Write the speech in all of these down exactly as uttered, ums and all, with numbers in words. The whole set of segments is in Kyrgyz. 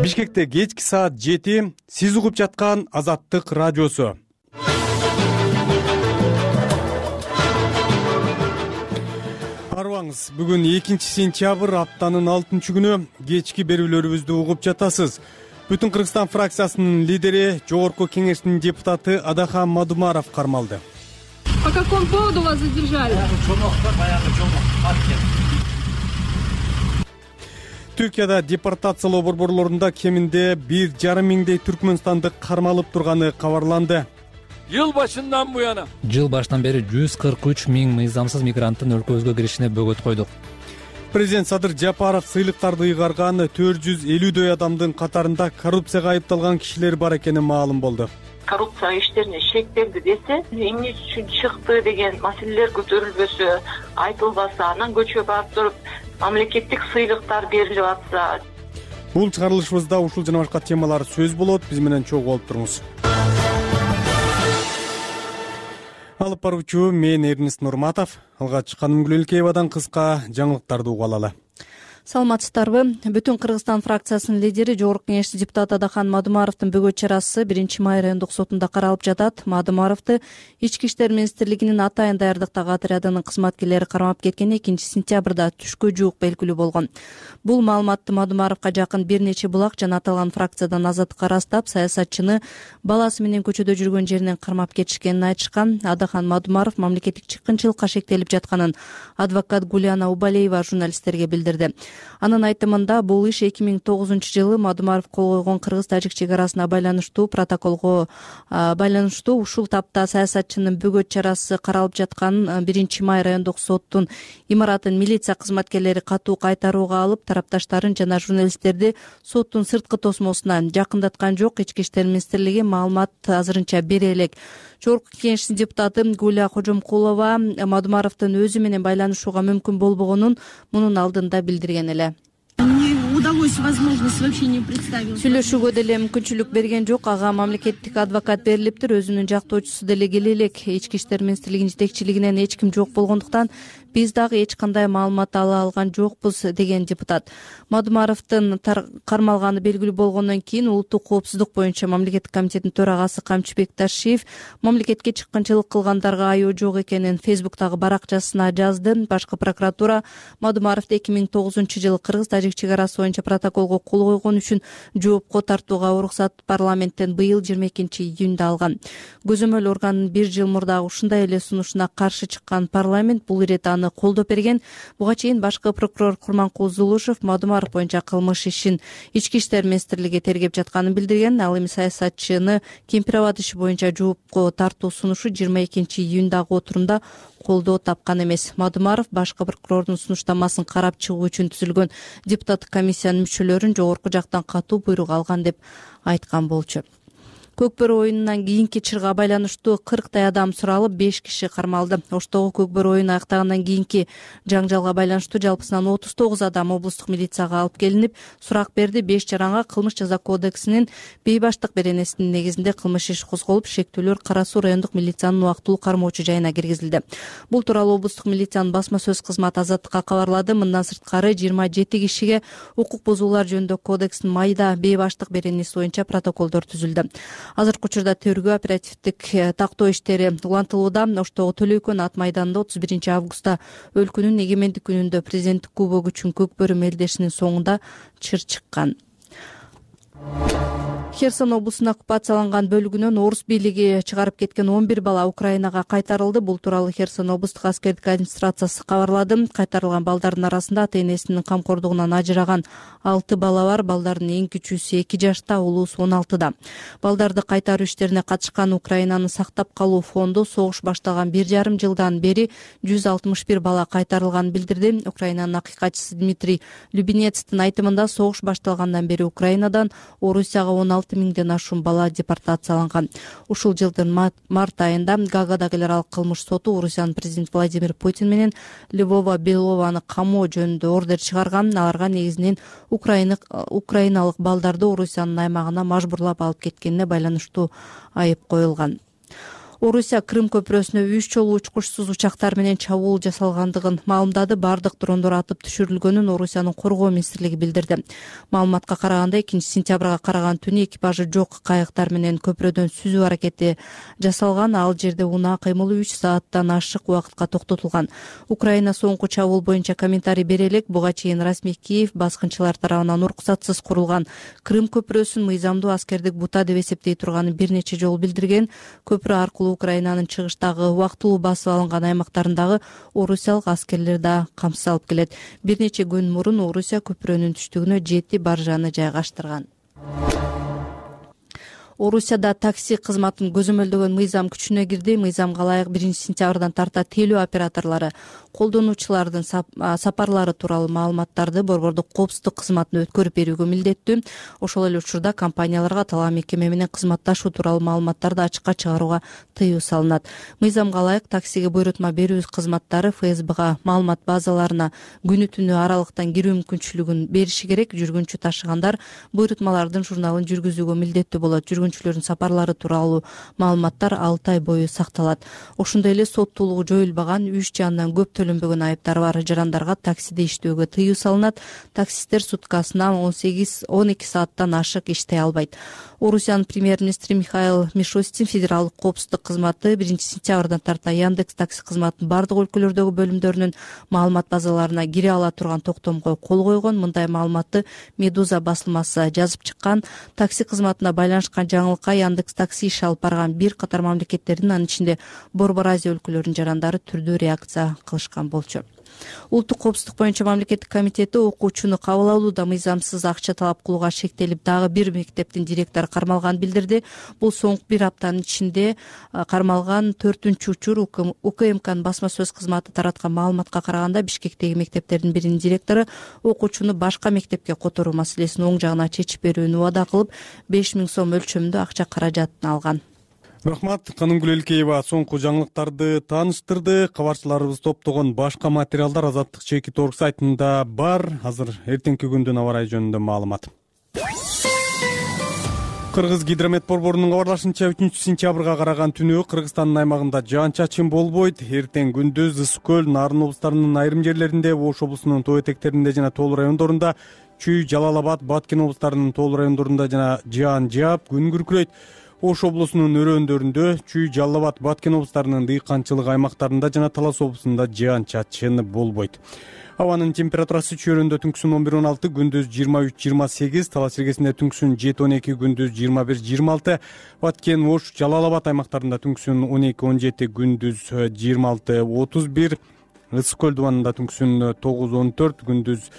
Бишкекте кечки саат жети, сиз угуп жаткан Азаттык радиосу. Арыбаңыз, бүгүн экинчи сентябрь, аптанын алтынчы күнү, кечки берүүлөрүбүздү угуп жатасыз. Бүтүн Кыргызстан фракциясынын лидери, Жогорку Кеңештин депутаты Адахан Мадумаров кармалды. По какому поводу вас задержали? Түркияда депортациялоо борборлорунда кеминде бир жарым миңдей түркмөнстандык кармалып турганы кабарланды. Жыл башынан буяна Жыл башынан бери жүз кырк үч миң мыйзамсыз мигранттын өлкөбүзгө киришине бөгөт койдук. Президент Садыр Жапаров сыйлыктарды ыйгарган төрт жүз элүүдөй адамдын катарында коррупцияга айыпталган кишилер бар экени маалым болду. Коррупция иштерине шектелди десе, эмне үчүн чыкты деген маселелер көтөрүлбөсө, айтылбаса, анан көчкө барып туруп мамлекеттик сыйлыктар берилип атса. Бул чыгарылышыбызда ушул жана башка темалар сөз болот. Биз менен чогуу болуп туруңуз. Алып баруучу мен Эрнест Нурматов. Алгач Каным Гүлөлкеевадан кыска жаңылыктарды угуп алалы. Саламатсыздарбы? Бүтүн Кыргызстан фракциясынын лидери, Жогорку Кеңештин депутаты Адахан Мадумаровдун бөгөт чарасы биринчи май райондук сотунда каралып жатат. Мадумаровду Ички иштер министрлигинин Атайын даярдыктагы отрядынын кызматкерлери кармап кеткени экинчи сентябрда түшкө жуук белгилүү болгон. Бул маалыматты Мадумаровго жакын бир нече булак жана аталган фракциядан азаттыкка ырастап, саясатчыны баласы менен көчөдө жүргөн жеринен кармап кетишкенин айтышкан. Адахан Мадумаров мамлекеттик чыккынчылыкка шектелип жатканын адвокат Гуляна Убалеева журналисттерге билдирди. Анын айтымында бул иш эки миң тогузунчу жылы Мадумаров кол койгон кыргыз-тажик чек арасына байланыштуу протоколго байланыштуу ушул тапта саясатчынын бөгөт чарасы каралып жаткан биринчи май райондук соттун имаратын милиция кызматкерлери катуу кайтарууга алып, тарапташтарын жана журналисттерди соттун сырткы тосмосуна жакындаткан жок. Ички иштер министрлиги маалымат азырынча бере элек. Жогорку Кеңештин депутаты Гуля Кожомкулова Мадумаровдун өзү менен байланышууга мүмкүн болбогонун мунун алдында билдирген эле. Удалось возможность вообще не представил. Сүйлөшүүгө деле мүмкүнчүлүк берген жок. Ага мамлекеттик адвокат берилиптир. Өзүнүн жактоочусу деле келе элек. Ички иштер министрлигинин жетекчилигинен эч ким жок болгондуктан биз дагы эч кандай маалымат ала алган жокпуз, деген депутат. Мадумаровдун кармалганы белгилүү болгондон кийин улуттук коопсуздук боюнча мамлекеттик комитеттин төрагасы Камчыбек Ташиев мамлекетке чыккынчылык кылгандарга айоо жок экенин Фейсбуктагы баракчасына жазды. Башкы прокуратура Мадумаровду эки миң тогузунчу жылы кыргыз-тажик чек арасы боюнча протоколго кол койгон үчүн жоопко тартууга уруксат парламенттен быйыл жыйырма экинчи июнда алган. Көзөмөл органдын бир жыл мурдагы ушундай эле сунушуна каршы чыккан парламент бул ирет аны колдоп берген. Буга чейин башкы прокурор Курманкул Зулушев Мадумаров боюнча кылмыш ишин Ички иштер министрлиги тергеп жатканын билдирген. Ал эми саясатчыны Кемпирабад иши боюнча жоопко тартуу сунушу жыйырма экинчи июндагы отурумда колдоо тапкан эмес. Мадумаров башкы прокурордун сунуштамасын карап чыгуу үчүн түзүлгөн депутаттык комиссиянын мүчөлөрүн жогорку жактан катуу буйрук алган деп айткан болчу. Көкбөрү оюнунан кийинки чырга байланыштуу кырктай адам суралып, беш киши кармалды. Оштогу Көкбөрү оюну аяктагандан кийинки жаңжалга байланыштуу жалпысынан отуз тогуз адам облустук милицияга алып келинип, сурак берди. беш жаранга кылмыш жаза кодексинин бейбаштык беренесинин негизинде кылмыш иш козголуп, шектүүлөр Кара Суу райондук милициянын убактылуу кармоочу жайына киргизилди. Бул тууралуу облустук милициянын басма сөз кызматы Азаттыкка кабарлады. Мындан сырткары жыйырма жети кишиге укук бузуулар жөнүндө кодекстин майда бейбаштык беренеси боюнча протоколдор түзүлдү. Азыркы учурда тергөө оперативдик тактоо иштери улантылууда. Оштогу Төлөйкөн ат майданында отуз биринчи августта өлкөнүн эгемендик күнүндө президенттик кубок үчүн Көкбөрү мелдешинин соңунда чыр чыккан. Херсон облусунун оккупацияланган бөлүгүнөн орус бийлиги чыгарып кеткен он бир бала Украинага кайтарылды. Бул тууралуу Херсон облустук аскердик администрациясы кабарлады. Кайтарылган балдардын арасында ата-энесинин камкордугунан ажыраган алты бала бар. Балдардын эң кичүүсү эки жашта, улуусу он алтыда. Балдарды кайтаруу иштерине катышкан Украинаны сактап калуу фонду согуш башталган бир жарым жылдан бери жүз алтымыш бир бала кайтарылганын билдирди. Украинанын акыйкатчысы Дмитрий Любенецтин айтымында согуш башталгандан бери Украинадан Орусияга он алты миңден ашуун бала депортацияланган. Ушул жылдын март айында Гаагадагы эл аралык кылмыш соту Орусиянын президенти Владимир Путин менен Львова Белованы камоо жөнүндө ордер чыгарган. Аларга негизинен украиналык балдарды Орусиянын аймагына мажбурлап алып кеткенине байланыштуу айып коюлган. Орусия Крым көпүрөсүнө үч жолу учкучсуз учактар менен чабуул жасалгандыгын маалымдады. Бардык дрондор атып түшүрүлгөнүн Орусиянын коргоо министрлиги билдирди. Маалыматка караганда экинчи сентябрга караган түнү экипажы жок кайыктар менен көпүрөдөн сүзүү аракети жасалган. Ал жерде унаа кыймылы үч сааттан ашык убакытка токтотулган. Украина соңку чабуул боюнча комментарий бере элек. Буга чейин расмий Киев баскынчылар тарабынан уруксатсыз курулган Крым көпүрөсүн мыйзамдуу аскердик бута деп эсептей турганын бир нече жолу билдирген. Көпүрө аркылуу Украинанын чыгыштагы убактылуу басып алынган аймактарындагы орусиялык аскерлер да камсыз алып келет. Бир нече күн мурун Орусия көпүрөнүн түштүгүнө жети баржаны жайгаштырган. Орусияда такси кызматын көзөмөлдөгөн мыйзам күчүнө кирди. Мыйзамга ылайык биринчи сентябрдан тарта телөө операторлору колдонуучулардын сапарлары тууралуу маалыматтарды борбордук коопсуздук кызматына өткөрүп берүүгө милдеттүү. Ошол эле учурда компанияларга аталган мекеме менен кызматташуу тууралуу маалыматтарды ачыкка чыгарууга тыюу салынат. Мыйзамга ылайык таксиге буйрутма берүү кызматтары эф эс бга маалымат базаларына күнү түнү аралыктан кирүү мүмкүнчүлүгүн бериши керек. Жүргүнчү ташыгандар буйрутмалардын журналын жүргүзүүгө милдеттүү болот. Жүргүнчүлөрдүн сапарлары тууралуу маалыматтар алты ай бою сакталат. Ошондой эле соттуулугу жоюлбаган үч же андан көп төлөнбөгөн айыптары бар жарандарга таксиде иштөөгө тыюу салынат. Таксисттер суткасына он сегиз он эки сааттан ашык иштей албайт. Орусиянын премьер-министри Михаил Мишустин федералдык коопсуздук кызматы биринчи сентябрдан тарта Яндекс такси кызматынын бардык өлкөлөрдөгү бөлүмдөрүнүн маалымат базаларына кире ала турган токтомго кол койгон. Мындай маалыматты Медуза басылмасы жазып чыккан. Такси кызматына байланышкан жаңылыкка Яндекс такси иш алып барган бир катар мамлекеттердин, анын ичинде Борбор Азия өлкөлөрүнүн жарандары түрдүү реакция кылышкан болчу. Улуттук коопсуздук боюнча мамлекеттик комитети окуучуну кабыл алууда мыйзамсыз акча талап кылууга шектелип, дагы бир мектептин директору кармалганын билдирди. Бул соңку бир аптанын ичинде кармалган төртүнчү учур. У К М Кнын басма сөз кызматы тараткан маалыматка караганда Бишкектеги мектептердин биринин директору окуучуну башка мектепке которуу маселесин оң жагына чечип берүүнү убада кылып, беш миң сом өлчөмүндө акча каражатын алган. Рахмат, Канымгүл Элкеева соңку жаңылыктарды тааныштырды. Кабарчыларыбыз топтогон башка материалдар Азаттык чекит точка орг сайтында бар. Азыр эртеңки күндүн аба ырайы жөнүндө маалымат. Кыргыз гидромет борборунун кабарлашынча үчүнчү сентябрга караган түнү Кыргызстандын аймагында жаан-чачын болбойт. Эртең күндүз Ысык көл, Нарын облустарынын айрым жерлеринде, Ош облусунун тоо этектеринде жана тоолуу райондорунда, Чүй, Жалал Абад, Баткен облустарынын тоолуу райондорунда жана жаан жаап, күн күркүрөйт. Ош облусунун өрөөндөрүндө, Чүй, Жалал Абад, Баткен облустарынын дыйканчылык аймактарында жана Талас облусунда жаан-чачын болбойт. Абанын температурасы Чүйөрөндө түнкүсүн он бир он алты, күндүз жыйырма үч жыйырма сегиз, Талас иргесинде түнкүсүн жети он эки, күндүз жыйырма бир жыйырма алты, Баткен, Ош, Жалал Абад аймактарында түнкүсүн он эки он жети, күндүз жыйырма алты отуз бир, Ысык көл дубанында түнкүсүн тогуз он төрт, күндүз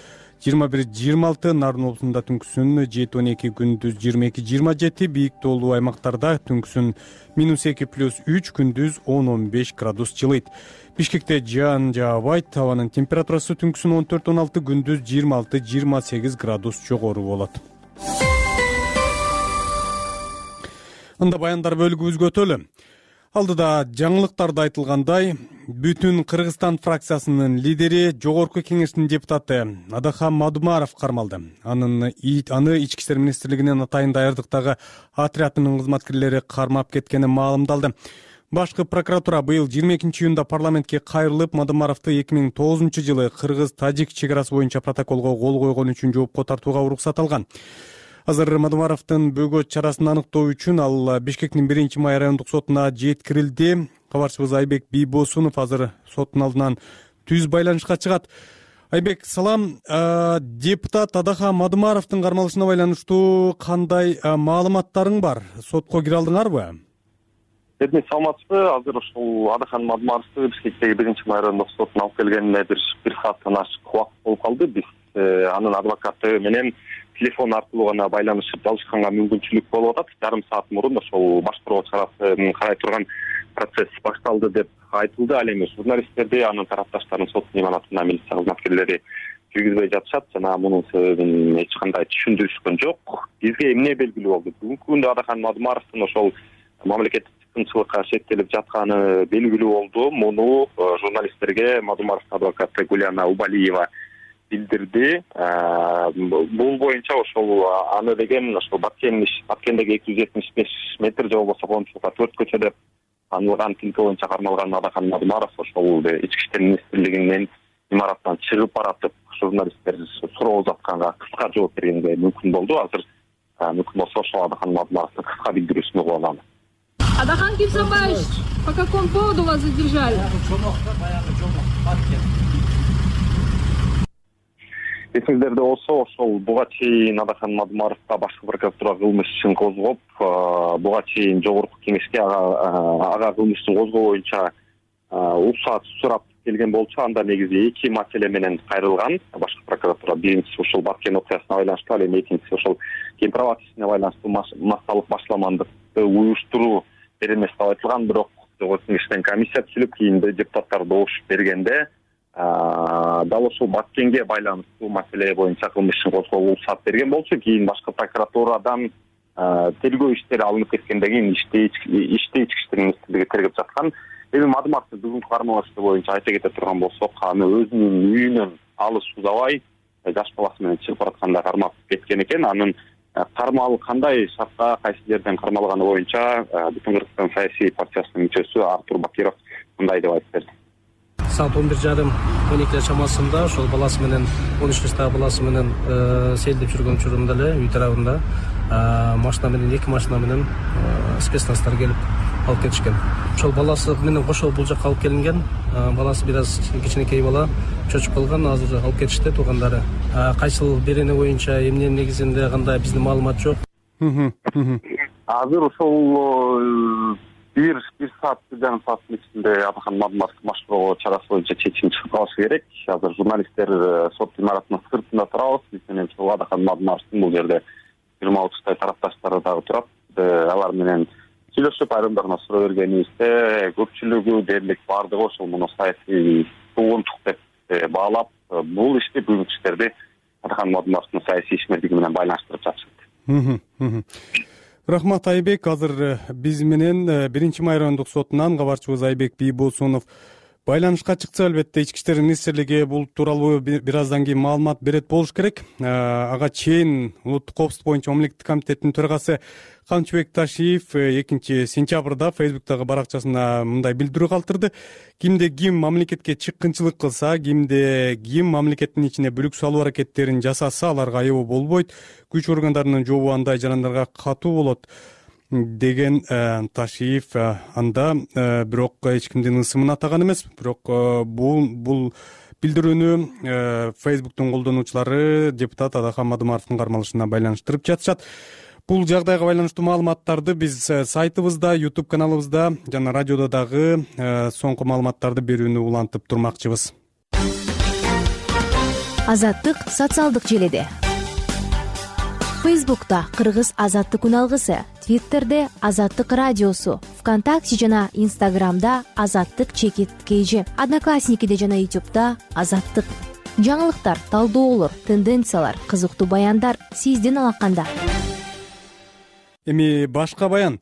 жыйырма бир жыйырма алты, Нарын облусунда түнкүсүн жети он эки, күндүз жыйырма эки жыйырма жети, бийик тоолуу аймактарда түнкүсүн минус эки плюс үч, күндүз он он беш градус жылыйт. Бишкекте жаан жаабайт, абанын температурасы түнкүсүн он төрт он алты, күндүз жыйырма алты жыйырма сегиз градус жогору болот. Анда баяндар бөлүгүбүзгө өтөлү. Алдыда жаңылыктарда айтылгандай, бүтүн Кыргызстан фракциясынын лидери, Жогорку Кеңештин депутаты Адахан Мадумаров кармалды. Анын аны Ички иштер министрлигинин атайын даярдыктагы отрядынын кызматкерлери кармап кеткени маалымдалды. Башкы прокуратура быйыл жыйырма экинчи июнда парламентке кайрылып, Мадумаровду эки миң тогузунчу жылы Кыргыз-Тажик чек арасы боюнча протоколго кол койгон үчүн жоопко тартууга уруксат алган. Азыр Мадумаровдун бөгөт чарасын аныктоо үчүн ал Бишкектин биринчи май райондук сотуна жеткирилди. Кабарчыбыз Айбек Бийбосунов азыр соттун алдынан түз байланышка чыгат. Айбек, салам. Депутат Адахан Мадумаровдун кармалышына байланыштуу кандай маалыматтарың бар? Сотко кире алдыңарбы? Эми саламатсызбы? Азыр ушул Адахан Мадумаровду Бишкектеги биринчи май райондук сотуна алып келгенине бир бир сааттан ашык убакыт болуп калды. Биз анын адвокаты менен телефон аркылуу гана байланышып алышканга мүмкүнчүлүк болуп атат. Жарым саат мурун ошол башкаруу чарасын карай турган процесс башталды деп айтылды. Ал эми журналисттерди, анын тарапташтарын соттун имаратына милиция кызматкерлери жүргүзбөй жатышат жана мунун себебин эч кандай түшүндүрүшкөн жок. Бизге эмне белгилүү болду? Бүгүнкү күндө Адахан Мадумаровдун ошол мамлекеттик чыккынчылыкка шектелип жатканы белгилүү болду. Муну журналисттерге Мадумаровдун адвокаты Гуляна Убалиева билдирди. Бул боюнча ошол аны деген ошол Баткен Баткендеги эки жүз жетимиш беш метр же болбосо коомчулукка төрт көчө деп танылган тилке боюнча кармалган Адахан Мадмаров ошол ички иштер министрлигинин имараттан чыгып баратып журналисттер суроо узатканга кыска жооп бергенге мүмкүн болду. Азыр мүмкүн болсо ошол Адахан Мадмаровдун кыска билдирүүсүн угуп алалы. Адахан Кимсанбаевич, по какому поводу вас задержали? Эсиңиздерде болсо, ошол буга чейин Адахан Мадмаровго башкы прокуратура кылмыш ишин козгоп, буга чейин жогорку кеңешке ага кылмыш ишин козгоо боюнча уруксат сурап келген болчу. Анда негизи эки маселе менен кайрылган башкы прокуратура. Биринчиси ушул Баткен окуясына байланыштуу, ал эми экинчиси ошол Кемпирабад ишине байланыштуу массалык башламандыкты уюштуруу беренеси деп айтылган. Бирок жогорку кеңештен комиссия түзүлүп, кийин депутаттар добуш бергенде дал ошол Баткенге байланыштуу маселе боюнча кылмыш ишин козгоого уруксат берген болчу. Кийин башкы прокуратурадан тергөө иштери алынып кеткенден кийин ишти ички иштер министрлиги тергеп жаткан. Эми Мадмаровдун бүгүнкү кармалышы боюнча айта кете турган болсок, аны өзүнүн үйүнөн алыс узабай жаш баласы менен чыгып баратканда кармап кеткен экен. Анын кармал кандай шартта кайсы жерден кармалганы боюнча Бүтүн Кыргызстан саясий партиясынын мүчөсү Артур Бакиров мындай деп айтып берди. Саат он бир жарым он эки чамасында ошол баласы менен он үч жаштагы баласы менен сейилдеп жүргөн учурунда эле үй тарабында машина менен эки машина менен спецназдар келип алып кетишкен. Ошол баласы менен кошо бул жакка алып келинген. Баласы бир аз кичинекей бала, чочуп калган. Азыр алып кетишти туугандары. Кайсыл берене боюнча эмненин негизинде кандай биздин маалымат жок. Азыр ошол бир бир саат бир жарым сааттын ичинде Адахан Мадмаровду машыктоо чарасы боюнча чечим чыгып калышы керек. Азыр журналисттер сот имаратынын сыртында турабыз. Биз менен ошол Адахан Мадмаровдун бул жерде жыйырма отуздай тарапташтары дагы турат. Алар менен сүйлөшүп айрымдарына суроо бергенибизде көпчүлүгү дээрлик баардыгы ошол муну саясий тугунтук деп баалап, бул ишти бүгүнкү иштерди Адахан Мадмаровдун саясий ишмердиги менен байланыштырып жатышат. Рахмат Айбек. Азыр биз менен биринчи май райондук сотунан кабарчыбыз Айбек Бийбосунов байланышка чыкса, албетте ички иштер министрлиги бул тууралуу бир аздан кийин маалымат берет болуш керек. Ага чейин улуттук коопсуздук боюнча мамлекеттик комитеттин төрагасы Камчыбек Ташиев экинчи сентябрда Фейсбуктагы баракчасына мындай билдирүү калтырды. Кимде ким мамлекетке чыккынчылык кылса, кимде ким мамлекеттин ичине бүлүк салуу аракеттерин жасаса, аларга айоо болбойт. Күч органдарынын жообу андай жарандарга катуу болот деген Ташиев. Анда бирок эч кимдин ысымын атаган эмес. Бирок бул бул билдирүүнү Фейсбуктун колдонуучулары депутат Адахан Мадмаровдун кармалышына байланыштырып жатышат. Бул жагдайга байланыштуу маалыматтарды биз сайтыбызда, YouTube каналыбызда жана радиодо дагы соңку маалыматтарды берүүнү улантып турмакчыбыз. Азаттык социалдык желиде. Фейсбукта Кыргыз Азаттык үналгысы, Твиттерде Азаттык радиосу, ВКонтакте жана Инстаграмда Азаттык чекит кейжи, Одноклассникиде жана Ютубда Азаттык. Жаңылыктар, талдоолор, тенденциялар, кызыктуу баяндар сиздин алаканда. Эми башка баян.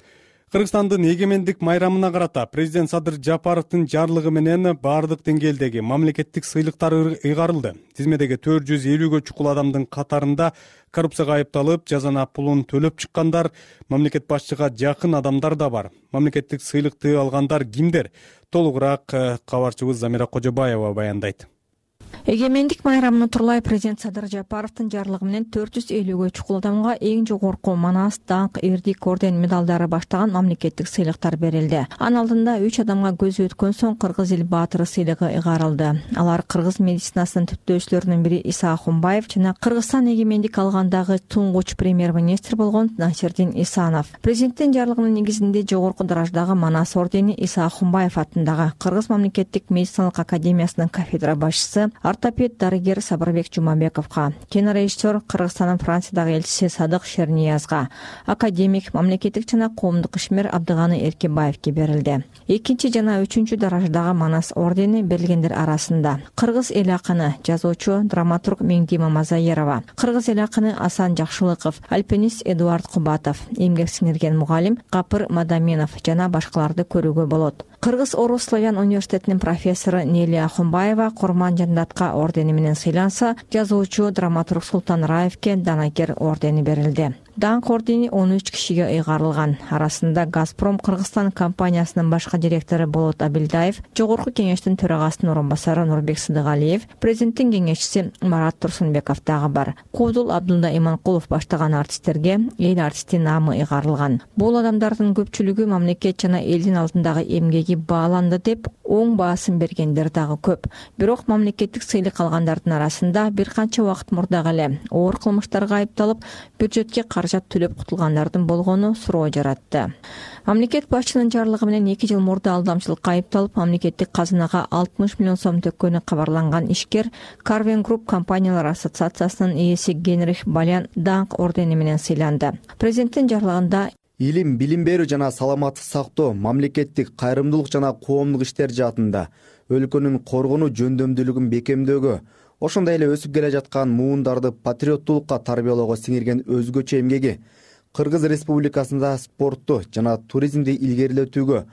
Кыргызстандын эгемендик майрамына карата президент Садыр Жапаровдун жарлыгы менен баардык деңгээлдеги мамлекеттик сыйлыктар ыйгарылды. Тизмедеги төрт жүз элүүгө чукул адамдын катарында коррупцияга айыпталып, жазана пулун төлөп чыккандар, мамлекет башчыга жакын адамдар да бар. Мамлекеттик сыйлыкты алгандар кимдер? Толугураак кабарчыбыз Замира Кожобаева баяндайт. Эгемендик майрамын турлай президент Садыр Жапаровдун жарлыгы менен төрт жүз элүүгө чукул адамга эң жогорку манас, даңк, эрдик орден медалдары баштаган мамлекеттик сыйлыктар берилди. Анын алдында үч адамга көзү өткөн соң Кыргыз эл баатыры сыйлыгы ыйгарылды. Алар кыргыз медицинасынын түптөөчүлөрүнүн бири Иса Ахунбаев жана Кыргызстан эгемендик алгандагы туңгуч премьер-министр болгон Насирдин Исанов. Президенттин жарлыгынын негизинде жогорку дараждагы манас ордени Иса Ахунбаев атындагы Кыргыз мамлекеттик медициналык академиясынын кафедра башчысы ортопед дарыгер Сабырбек Жумабековго, кинорежиссер Кыргызстандын Франциядагы элчиси Садык Шерниязга, академик, мамлекеттик жана коомдук ишмер Абдыганы Эркебаевге берилди. Экинчи жана үчүнчү дараждагы манас ордени берилгендер арасында кыргыз эл акыны, жазуучу, драматург Меңдима Мазаерова, кыргыз эл акыны Асан Жакшылыков, альпинист Эдуард Кубатов, эмгек сиңирген мугалим Капыр Мадаменов жана башкаларды көрүүгө болот. Кыргыз Орус Славян университетинин профессору Нелия Ахунбаева Курман Жандатка ордени менен сыйланса, жазуучу драматург Султан Раевке Данагер ордени берилди. Даңк ордени он үч кишиге ыйгарылган. Арасында Газпром Кыргызстан компаниясынын башкы директору Болот Абилдаев, Жогорку кеңештин төрагасынын орун басары Нурбек Сыдыгалиев, президенттин кеңешчиси Марат Турсунбеков дагы бар. Куудул Абдулда Иманкулов баштаган артисттерге эл артисти наамы ыйгарылган. Бул адамдардын көпчүлүгү мамлекет жана элдин алдындагы эмгеги бааланды деп оң баасын бергендер дагы көп. Бирок мамлекеттик сыйлык алгандардын арасында бир канча убакыт мурда эле оор кылмыштарга айыпталып, бюджетке каражат төлөп кутулгандардын болгону суроо жаратты. Мамлекет башчынын жарлыгы менен эки жыл мурда алдамчылыкка айыпталып, мамлекеттик казынага алтымыш миллион сом төккөнү кабарланган ишкер Карвен Групп компаниялар ассоциациясынын ээси Генрих Балян даңк ордени менен сыйланды. Президенттин жарлыгында илим, билим берүү жана саламаттык сактоо, мамлекеттик кайрымдуулук жана коомдук иштер жаатында өлкөнүн коргонуу жөндөмдүүлүгүн бекемдөөгө, ошондой эле өсүп келе жаткан муундарды патриоттуулукка тарбиялоого сиңирген өзгөчө эмгеги Кыргыз Республикасында спортту жана туризмди илгерилетүүгө,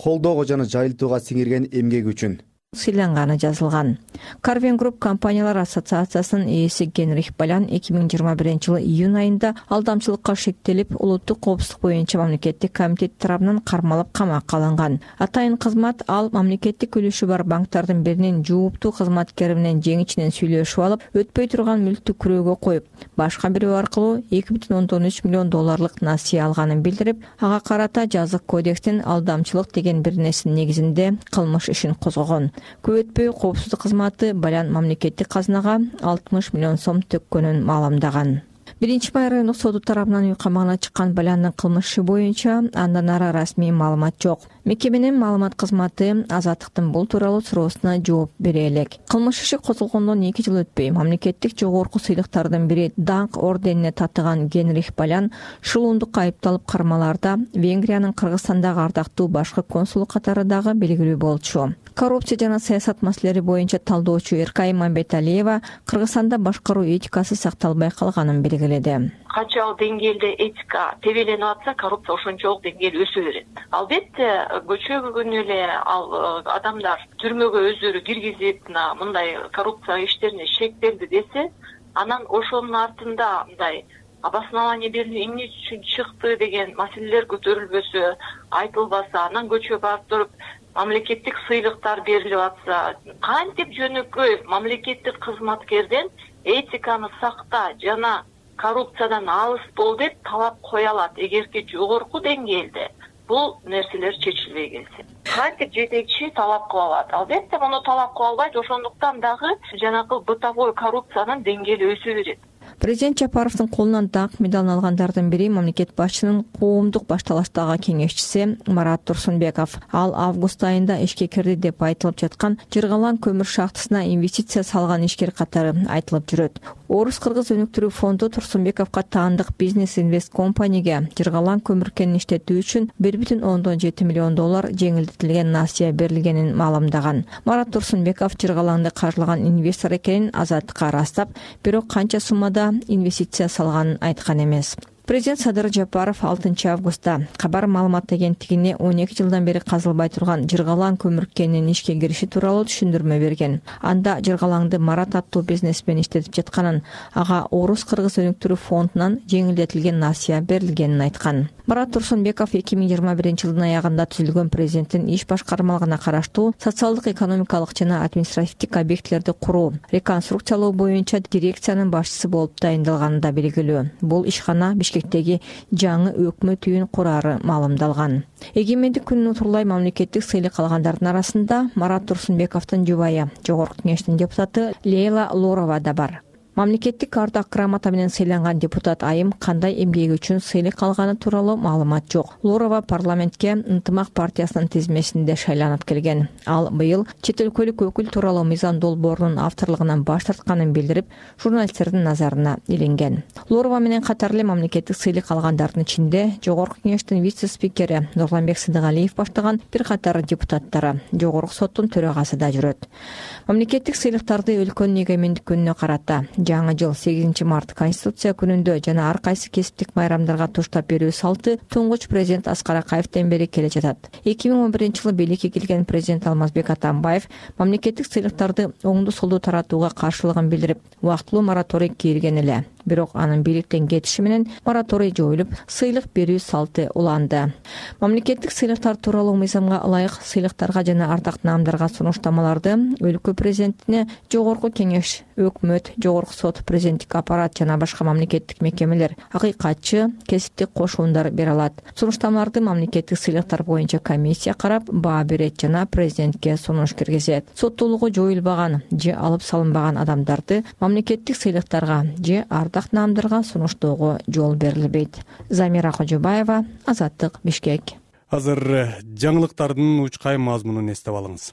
колдоого жана жайылтууга сиңирген эмгеги үчүн сыйланганы жазылган. Карвен Групп компаниялар ассоциациясынын ээси Генрих Балян эки миң жыйырма биринчи жылы июнь айында алдамчылыкка шектелип, улуттук коопсуздук боюнча мамлекеттик комитет тарабынан кармалып камакка алынган. Атайын кызмат ал мамлекеттик үлүшү бар банктардын биринин жууптуу кызматкери менен жең ичинен сүйлөшүп алып, өтпөй турган мүлктү күрөөгө коюп, башка бирөө аркылуу эки бүтүн ондон үч миллион долларлык насыя алганын билдирип, ага карата жазык кодекстин алдамчылык деген бир нерсенин негизинде кылмыш ишин козгогон. Көп өтпөй коопсуздук кызматы Балян мамлекеттик казынага алтымыш миллион сом төккөнүн маалымдаган. Биринчи май райондук соду тарабынан үй камагына чыккан Баляндын кылмыш иши боюнча андан ары расмий маалымат жок. Мекеменин маалымат кызматы Азаттыктын бул тууралуу суроосуна жооп бере элек. Кылмыш иши козголгондон эки жыл өтпөй мамлекеттик жогорку сыйлыктардын бири даңк орденине татыган Генрих Балян шылуундукка айыпталып кармаларда Венгриянын Кыргызстандагы ардактуу башкы консулу катары дагы белгилүү болчу. Коррупция жана саясат маселелери боюнча талдоочу Эркай Мамбеталиева Кыргызстанда башкаруу этикасы сакталбай калганын белгиледи. Канчалык деңгээлде этика тебеленип атса, коррупция ошончолук деңгээл өсө берет. Албетте, көчөгө күнү эле ал адамдар түрмөгө өздөрү киргизип, мындай коррупция иштерине шектелди десе, анан ошонун артында мындай обоснование берилип, эмне үчүн чыкты деген маселелер көтөрүлбөсө, айтылбаса, анан көчөгө барып туруп мамлекеттик сыйлыктар берилип атса, кантип жөнөкөй мамлекеттик кызматкерден этиканы сакта жана коррупциядан алыс бол деп талап кое алат, эгерки жогорку деңгээлде бул нерселер чечилбей келсе. Кантип жетекчи талап кыла алат? Албетте, муну талап кыла албайт, ошондуктан дагы жанакы бытовой коррупциянын деңгээли өсө берет. Президент Жапаровдун колунан даңк медалын алгандардын бири мамлекет башчынын коомдук башталаштагы кеңешчиси Марат Турсунбеков. Ал август айында ишке кирди деп айтылып жаткан Жыргалан көмүр шахтасына инвестиция салган ишкер катары айтылып жүрөт. Орус-кыргыз өнүктүрүү фонду Турсунбековго таандык бизнес инвест компанияга Жыргалан көмүр кенин иштетүү үчүн бир бүтүн ондон жети миллион доллар жеңилдетилген насыя берилгенин маалымдаган. Марат Турсунбеков Жыргаланды каржылаган инвестор экенин Азаттыкка ырастап, бирок канча суммада инвестиция салганын айткан эмес. Президент Садыр Жапаров алтынчы августта кабар маалымат агенттигине он эки жылдан бери казылбай турган Жыргалан көмүр кенинин ишке кириши тууралуу түшүндүрмө берген. Анда Жыргалаңды Марат аттуу бизнесмен иштетип жатканын, ага Орус-кыргыз өнүктүрүү фондунан жеңилдетилген насыя берилгенин айткан. Марат Турсунбеков эки миң жыйырма биринчи жылдын аягында түзүлгөн президенттин иш башкармалыгына караштуу социалдык, экономикалык жана административдик объектилерди куруу, реконструкциялоо боюнча дирекциянын башчысы болуп дайындалганы да белгилүү. Бул ишкана Бишкектеги жаңы өкмөт үйүн курары маалымдалган. Эгемендик күнүнө турлай мамлекеттик сыйлык алгандардын арасында Марат Турсунбековдун жубайы, жогорку кеңештин депутаты Лейла Лорова да бар. Мамлекеттик ардак грамота менен сыйланган депутат айым кандай эмгеги үчүн сыйлык алганы тууралуу маалымат жок. Лорова парламентке Ынтымак партиясынын тизмесинде шайланып келген. Ал быйыл чет өлкөлүк өкүл тууралуу мыйзам долбоорунун авторлугунан баш тартканын билдирип, журналисттердин назарына илинген. Лорова менен катар эле мамлекеттик сыйлык алгандардын ичинде жогорку кеңештин вице-спикери Нурланбек Сыдыгалиев баштаган бир катар депутаттары, жогорку соттун төрагасы да жүрөт. Мамлекеттик сыйлыктарды өлкөнүн эгемендик күнүнө карата жаңы жыл сегизинчи март Конституция күнүндө жана ар кайсы кесиптик майрамдарга туштап берүү салты туңгуч президент Аскар Акаевден бери келе жатат. эки миң он биринчи жылы бийликке келген президент Алмазбек Атамбаев мамлекеттик сыйлыктарды оңду солду таратууга каршылыгын билдирип, убактылуу мораторий кийилген эле. Бирок анын бийликтен кетиши менен мораторий жоюлуп, сыйлык берүү салты уланды. Мамлекеттик сыйлыктар тууралуу мыйзамга ылайык сыйлыктарга жана ардак наамдарга сунуштамаларды өлкө президентине Жогорку Кеңеш, өкмөт, Жогорку сот, президенттик аппарат жана башка мамлекеттик мекемелер, акыйкатчы, кесиптик кошуундар бере алат. Сунуштамаларды мамлекеттик сыйлыктар боюнча комиссия карап, баа берет жана президентке сунуш киргизет. Соттуулугу жоюлбаган же алып салынбаган адамдарды мамлекеттик сыйлыктарга же ардак наамдарга сунуштоого жол берилбейт. Замира Кожобаева, Азаттык, Бишкек. Азыр жаңылыктардын учкай мазмунун эстеп алыңыз.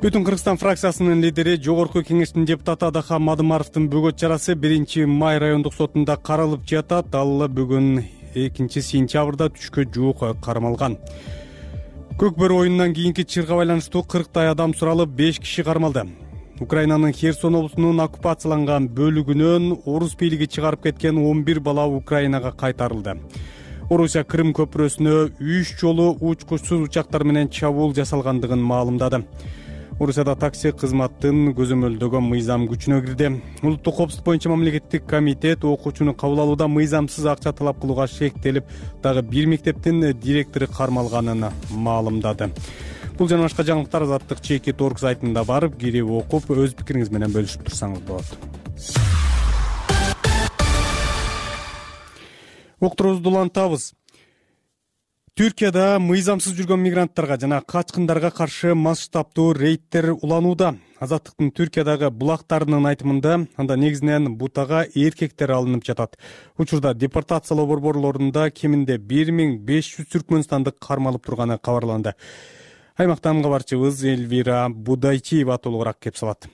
Бүтүн Кыргызстан фракциясынын лидери, Жогорку Кеңештин депутаты Адахан Мадымаровдун бөгөт чарасы биринчи май райондук сотунда каралып жатат. Ал бүгүн экинчи сентябрда түшкө жуук кармалган. Көк бөрү оюнунан кийинки чырга байланыштуу кырктай адам суралып, беш киши кармалды. Украинанын Херсон облусунун оккупацияланган бөлүгүнөн орус бийлиги чыгарып кеткен он бир бала Украинага кайтарылды. Орусия Крым көпүрөсүнө үч жолу учкучсуз учактар менен чабуул жасалгандыгын маалымдады. Орусияда такси кызматтын көзөмөлдөгөн мыйзам күчүнө кирди. Улуттук коопсуздук боюнча мамлекеттик комитет окуучуну кабыл алууда мыйзамсыз акча талап кылууга шектелип, дагы бир мектептин директору кармалганын маалымдады. Бул жана башка жаңылыктар Азаттык чекит точка орг сайтында барып, кирип окуп, өз пикириңиз менен бөлүшүп турсаңыз болот. Окторубузду улантабыз. Түркияда мыйзамсыз жүргөн мигранттарга жана качкындарга каршы масштабтуу рейдтер уланууда. Азаттыктын Түркиядагы булактарынын айтымында, анда негизинен бутага эркектер алынып жатат. Учурда депортациялоо борборлорунда кеминде бир миң беш жүз түркмөнстандык кармалып турганы кабарланды. Аймактан кабарчыбыз Эльвира Будайчиева толугураак кеп салат.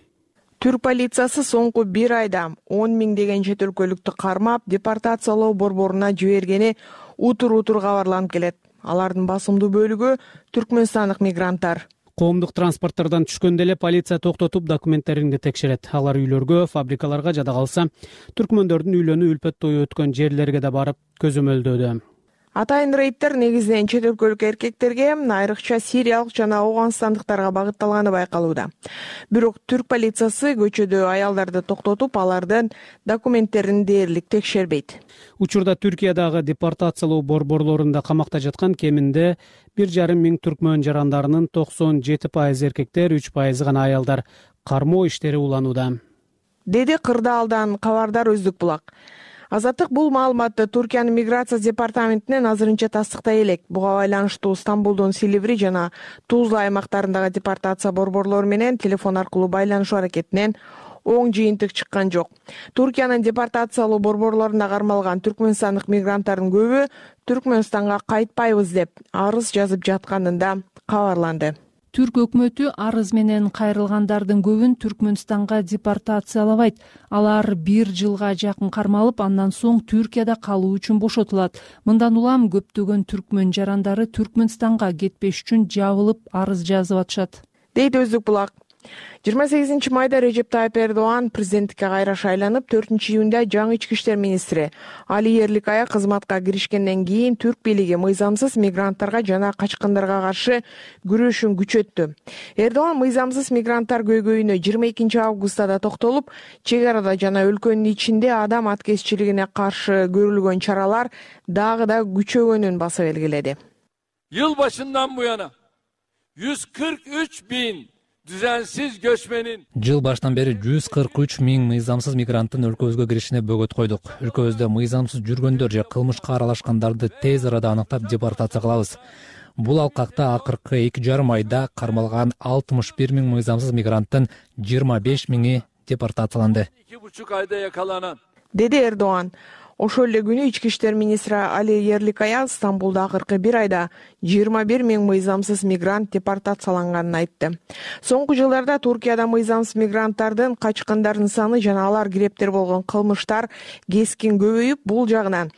Түрк полициясы соңку бир айда он миңдеген чет өлкөлүктү кармап, депортациялоо борборуна жибергени утур-утур кабарланып келет. Алардын басымдуу бөлүгү түркмөнстандык мигранттар. Коомдук транспорттардан түшкөндө эле полиция токтотуп документтеринди текшерет. Алар үйлөргө, фабрикаларга жада калса, түркмөндөрдүн үйлөнүү үлпөт тою өткөн жерлерге да барып көзөмөлдөөдө. Атайын рейдтер негизинен чет өлкөлүк эркектерге, айрыкча сириялык жана ауганстандыктарга багытталганы байкалууда. Бирок түрк полициясы көчөдө аялдарды токтотуп, алардын документтерин дээрлик текшербейт. Учурда Түркиядагы депортациялоо борборлорунда камакта жаткан кеминде бир жарым миң түркмөн жарандарынын токсон жети пайызы эркектер, үч пайызы гана аялдар. Кармоо иштери уланууда. Деди Кырдаалдан Кабардар Өздүк Булак. Азаттык бул маалыматты Туркиянын миграция департаментинен азырынча тастыктай элек. Буга байланыштуу Стамбулдун Силиври жана Тузла аймактарындагы депортация борборлору менен телефон аркылуу байланышуу аракетинен оң жыйынтык чыккан жок. Туркиянын депортациялоо борборлорунда кармалган түркмөнстандык мигранттардын көбү Түркмөнстанга кайтпайбыз деп арыз жазып жатканында кабарланды. Түрк өкмөтү арыз менен кайрылгандардын көбүн Түркмөнстанга депортациялабайт. Алар бир жылга жакын кармалып, андан соң Түркияда калуу үчүн бошотулат. Мындан улам көптөгөн түркмөн жарандары Түркмөнстанга кетпеш үчүн жабылып арыз жазып атышат. Дейт Өздүк Булак. жыйырма сегизинчи майда Режеп Тайып Эрдоган президенттикке кайра шайланып, төртүнчү июнда жаңы ички иштер министри Али Ерликая кызматка киришкенден кийин түрк бийлиги мыйзамсыз мигранттарга жана качкындарга каршы күрөшүн күчөттү. Эрдоган мыйзамсыз мигранттар көйгөйүнө жыйырма экинчи августта да токтолуп, чек арада жана өлкөнүн ичинде адам аткезчилигине каршы көрүлгөн чаралар дагы да күчөгөнүн баса белгиледи. Yıl başından bu yana yüz kırk üç bin düzensiz göçmenin Жыл баштан бери жүз кырк үч миң мыйзамсыз мигранттын өлкөбүзгө киришине бөгөт койдук. Өлкөбүздө мыйзамсыз жүргөндөр же кылмышка аралашкандарды тез арада аныктап депортация кылабыз. Бул алкакта акыркы эки жарым айда кармалган алтымыш бир миң мыйзамсыз мигранттын жыйырма беш миңи депортацияланды. iki buçuk ayda yakalanan Деди Эрдоган. Ошол эле күнү ички иштер министри Али Ерликая Стамбулда акыркы бир айда жыйырма бир миң мыйзамсыз мигрант депортацияланганын айтты. Соңку жылдарда Туркияда мыйзамсыз мигранттардын, качкындардын саны жана алар кирептер болгон кылмыштар кескин көбөйүп, бул жагынан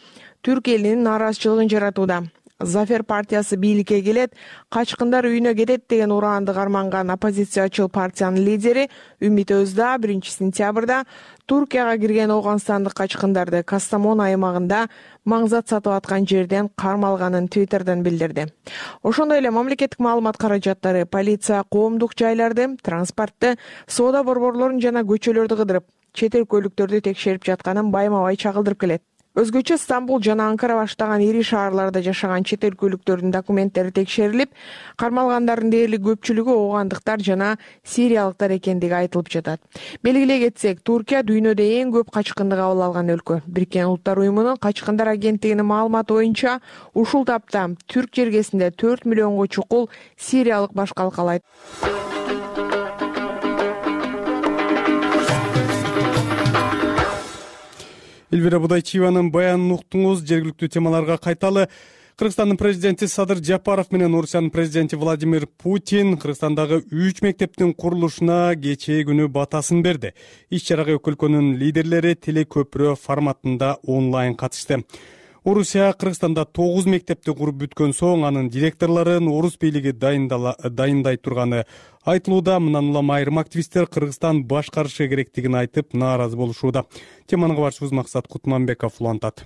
түрк элинин нааразычылыгын жаратууда. Зафер партиясы бийликке келет, качкындар үйүнө кетет деген ураанды карманган оппозициячыл партиянын лидери Үмүт Өзда биринчи сентябрда Туркияга кирген Ооганстандык качкындарды Кастамон аймагында маңзат сатып аткан жерден кармалганын Твиттерден билдирди. Ошондой эле мамлекеттик маалымат каражаттары полиция коомдук жайларды, транспортты, соода борборлорун жана көчөлөрдү кыдырып, чет эл көлүктөрдү текшерип жатканын байма-бай чагылдырып келет. Өзгөчө Стамбул жана Анкара баштаган ири шаарларда жашаган чет эл көлүктөрдүн документтери текшерилип, кармалгандардын дээрлик көпчүлүгү оогандыктар жана сириялыктар экендиги айтылып жатат. Белгилей кетсек, Туркия дүйнөдө эң көп качкынды кабыл алган өлкө. Бириккен Улуттар уюмунун качкындар агенттигинин маалыматы боюнча, ушул тапта түрк жергесинде төрт миллионго чукул сириялык баш калкалайт. Элвира Будайчиеванын баянын уктуңуз. Жергиликтүү темаларга кайталы. Кыргызстандын президенти Садыр Жапаров менен Орусиянын президенти Владимир Путин Кыргызстандагы үч мектептин курулушуна кечээ күнү батасын берди. Иш-чарага эки өлкөнүн лидерлери телекөпүрө форматында онлайн катышты. Орусия Кыргызстанда тогуз мектепти куруп бүткөн соң анын директорлорун орус бийлиги дайындай турганы айтылууда. Мындан улам айрым активисттер Кыргызстан башкарышы керектигин айтып нааразы болушууда. Теманы кабарчыбыз Максат Кутманбеков улантат.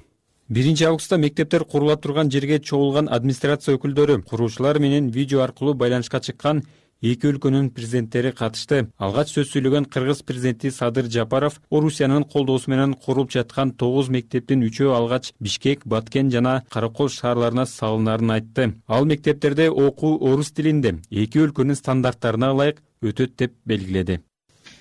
биринчи августта мектептер курула турган жерге чогулган администрация өкүлдөрү, куруучулар менен видео аркылуу байланышка чыккан эки өлкөнүн президенттери катышты. Алгач сөз сүйлөгөн кыргыз президенти Садыр Жапаров Орусиянын колдоосу менен курулуп жаткан тогуз мектептин үчөө алгач Бишкек, Баткен жана Каракол шаарларына салынарын айтты. Ал мектептерде окуу орус тилинде эки өлкөнүн стандарттарына ылайык өтөт деп белгиледи.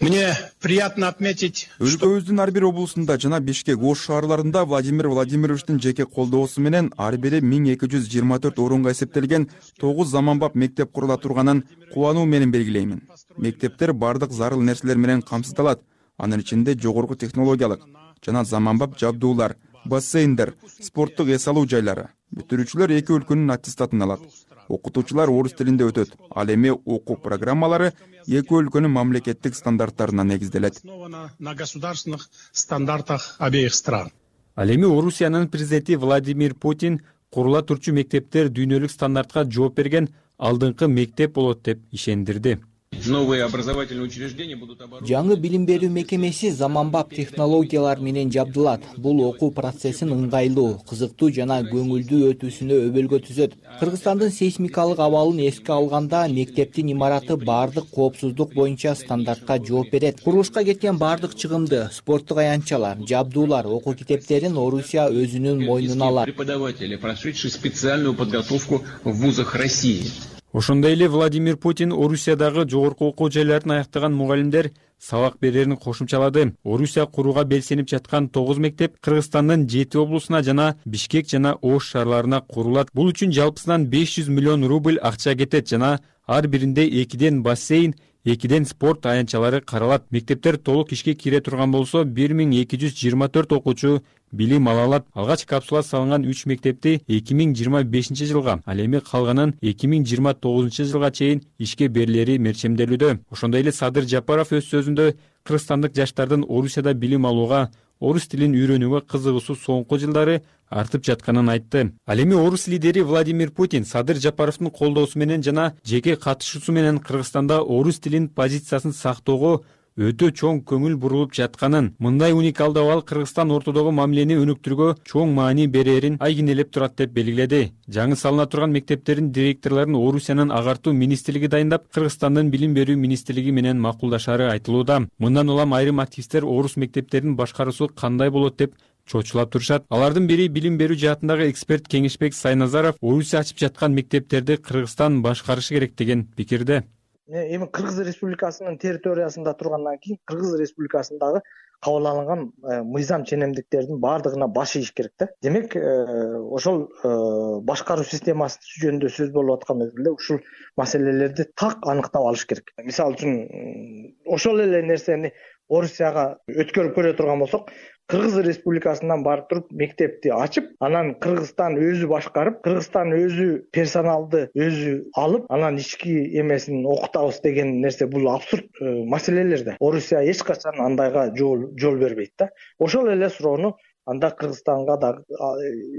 Мне приятно отметить, өлкөбүздүн ар бир облусунда жана Бишкек, Ош шаарларында Владимир Владимировичтин жеке колдоосу менен ар бири миң эки жүз жыйырма төрт орунга эсептелген тогуз заманбап мектеп курула турганын кубануу менен белгилеймин. Мектептер бардык зарыл нерселер менен камсыздалат. Анын ичинде жогорку технологиялык жана заманбап жабдуулар, бассейндер, спорттук эс алуу жайлары. Бүтүрүүчүлөр эки өлкөнүн аттестатын алат. Окутуучулар орус тилинде өтөт. Ал эми окуу программалары эки өлкөнүн мамлекеттик стандарттарына негизделет. на государственных стандартах обеих стран. Ал эми Орусиянын президенти Владимир Путин курула турчу мектептер дүйнөлүк стандартка жооп берген алдыңкы мектеп болот деп ишендирди. Жаңы билим берүү мекемеси заманбап технологиялар менен жабдылат. Бул окуу процессин ыңгайлуу, кызыктуу жана көңүлдүү өтүүсүнө өбөлгө түзөт. Кыргызстандын сейсмикалык абалын эске алганда мектептин имараты бардык коопсуздук боюнча стандартка жооп берет. Курулушка кеткен бардык чыгымды, спорттук аянтчалар, жабдуулар, окуу китептерин Орусия өзүнүн мойнуна алат. Преподаватели, прошедшие специальную подготовку в вузах России. Ошондой эле Владимир Путин Орусиядагы жогорку окуу жайларын аяктаган мугалимдер сабак берерин кошумчалады. Орусия курууга белсенип жаткан тогуз мектеп Кыргызстандын жети облусуна жана Бишкек жана Ош шаарларына курулат. Бул үчүн жалпысынан беш жүз миллион рубль акча кетет жана ар биринде экиден бассейн, экиден спорт аянтчалары каралат. Мектептер толук ишке кире турган болсо бир миң эки жүз жыйырма төрт окуучу билим ала алат. Алгач капсула салынган үч мектепти эки миң жыйырма бешинчи жылга, ал эми калганын эки миң жыйырма тогузунчу жылга чейин ишке берилери мерчемделүүдө. Ошондой эле Садыр Жапаров өз сөзүндө кыргызстандык жаштардын Орусияда билим алууга, орус тилин үйрөнүүгө кызыгуусу соңку жылдары артып жатканын айтты. Ал эми орус лидери Владимир Путин Садыр Жапаровдун колдоосу менен жана жеке катышуусу менен Кыргызстанда орус тилин позициясын сактоого өтө чоң көңүл бурулуп жатканын, мындай уникалдуу абал Кыргызстан ортодогу мамилени өнүктүрүүгө чоң маани берерин айгинелеп турат деп белгиледи. Жаңы салына турган мектептердин директорлорун Орусиянын агартуу министрлиги дайындап, Кыргызстандын билим берүү министрлиги менен макулдашары айтылууда. Мындан улам айрым активисттер орус мектептеринин башкаруусу кандай болот деп чочулап турушат. Алардын бири билим берүү жаатындагы эксперт Кеңешбек Сайназаров Орусия ачып жаткан мектептерди Кыргызстан башкарышы керек деген пикирде. Эми Кыргыз Республикасынын территориясында тургандан кийин Кыргыз Республикасындагы кабыл алынган мыйзам ченемдиктердин баардыгына баш ийиш керек да. Демек, ошол башкаруу системасы жөнүндө сөз болуп аткан мезгилде ушул маселелерди так аныктап алыш керек. Мисалы үчүн ошол эле нерсени Орусияга өткөрүп көрө турган болсок, Кыргыз Республикасынан барып туруп мектепти ачып, анан Кыргызстан өзү башкарып, Кыргызстан өзү персоналды өзү алып, анан ички эмесин окутабыз деген нерсе бул абсурд маселелер да. Орусия эч качан андайга жол жол бербейт да. Ошол эле суроону анда Кыргызстанга дагы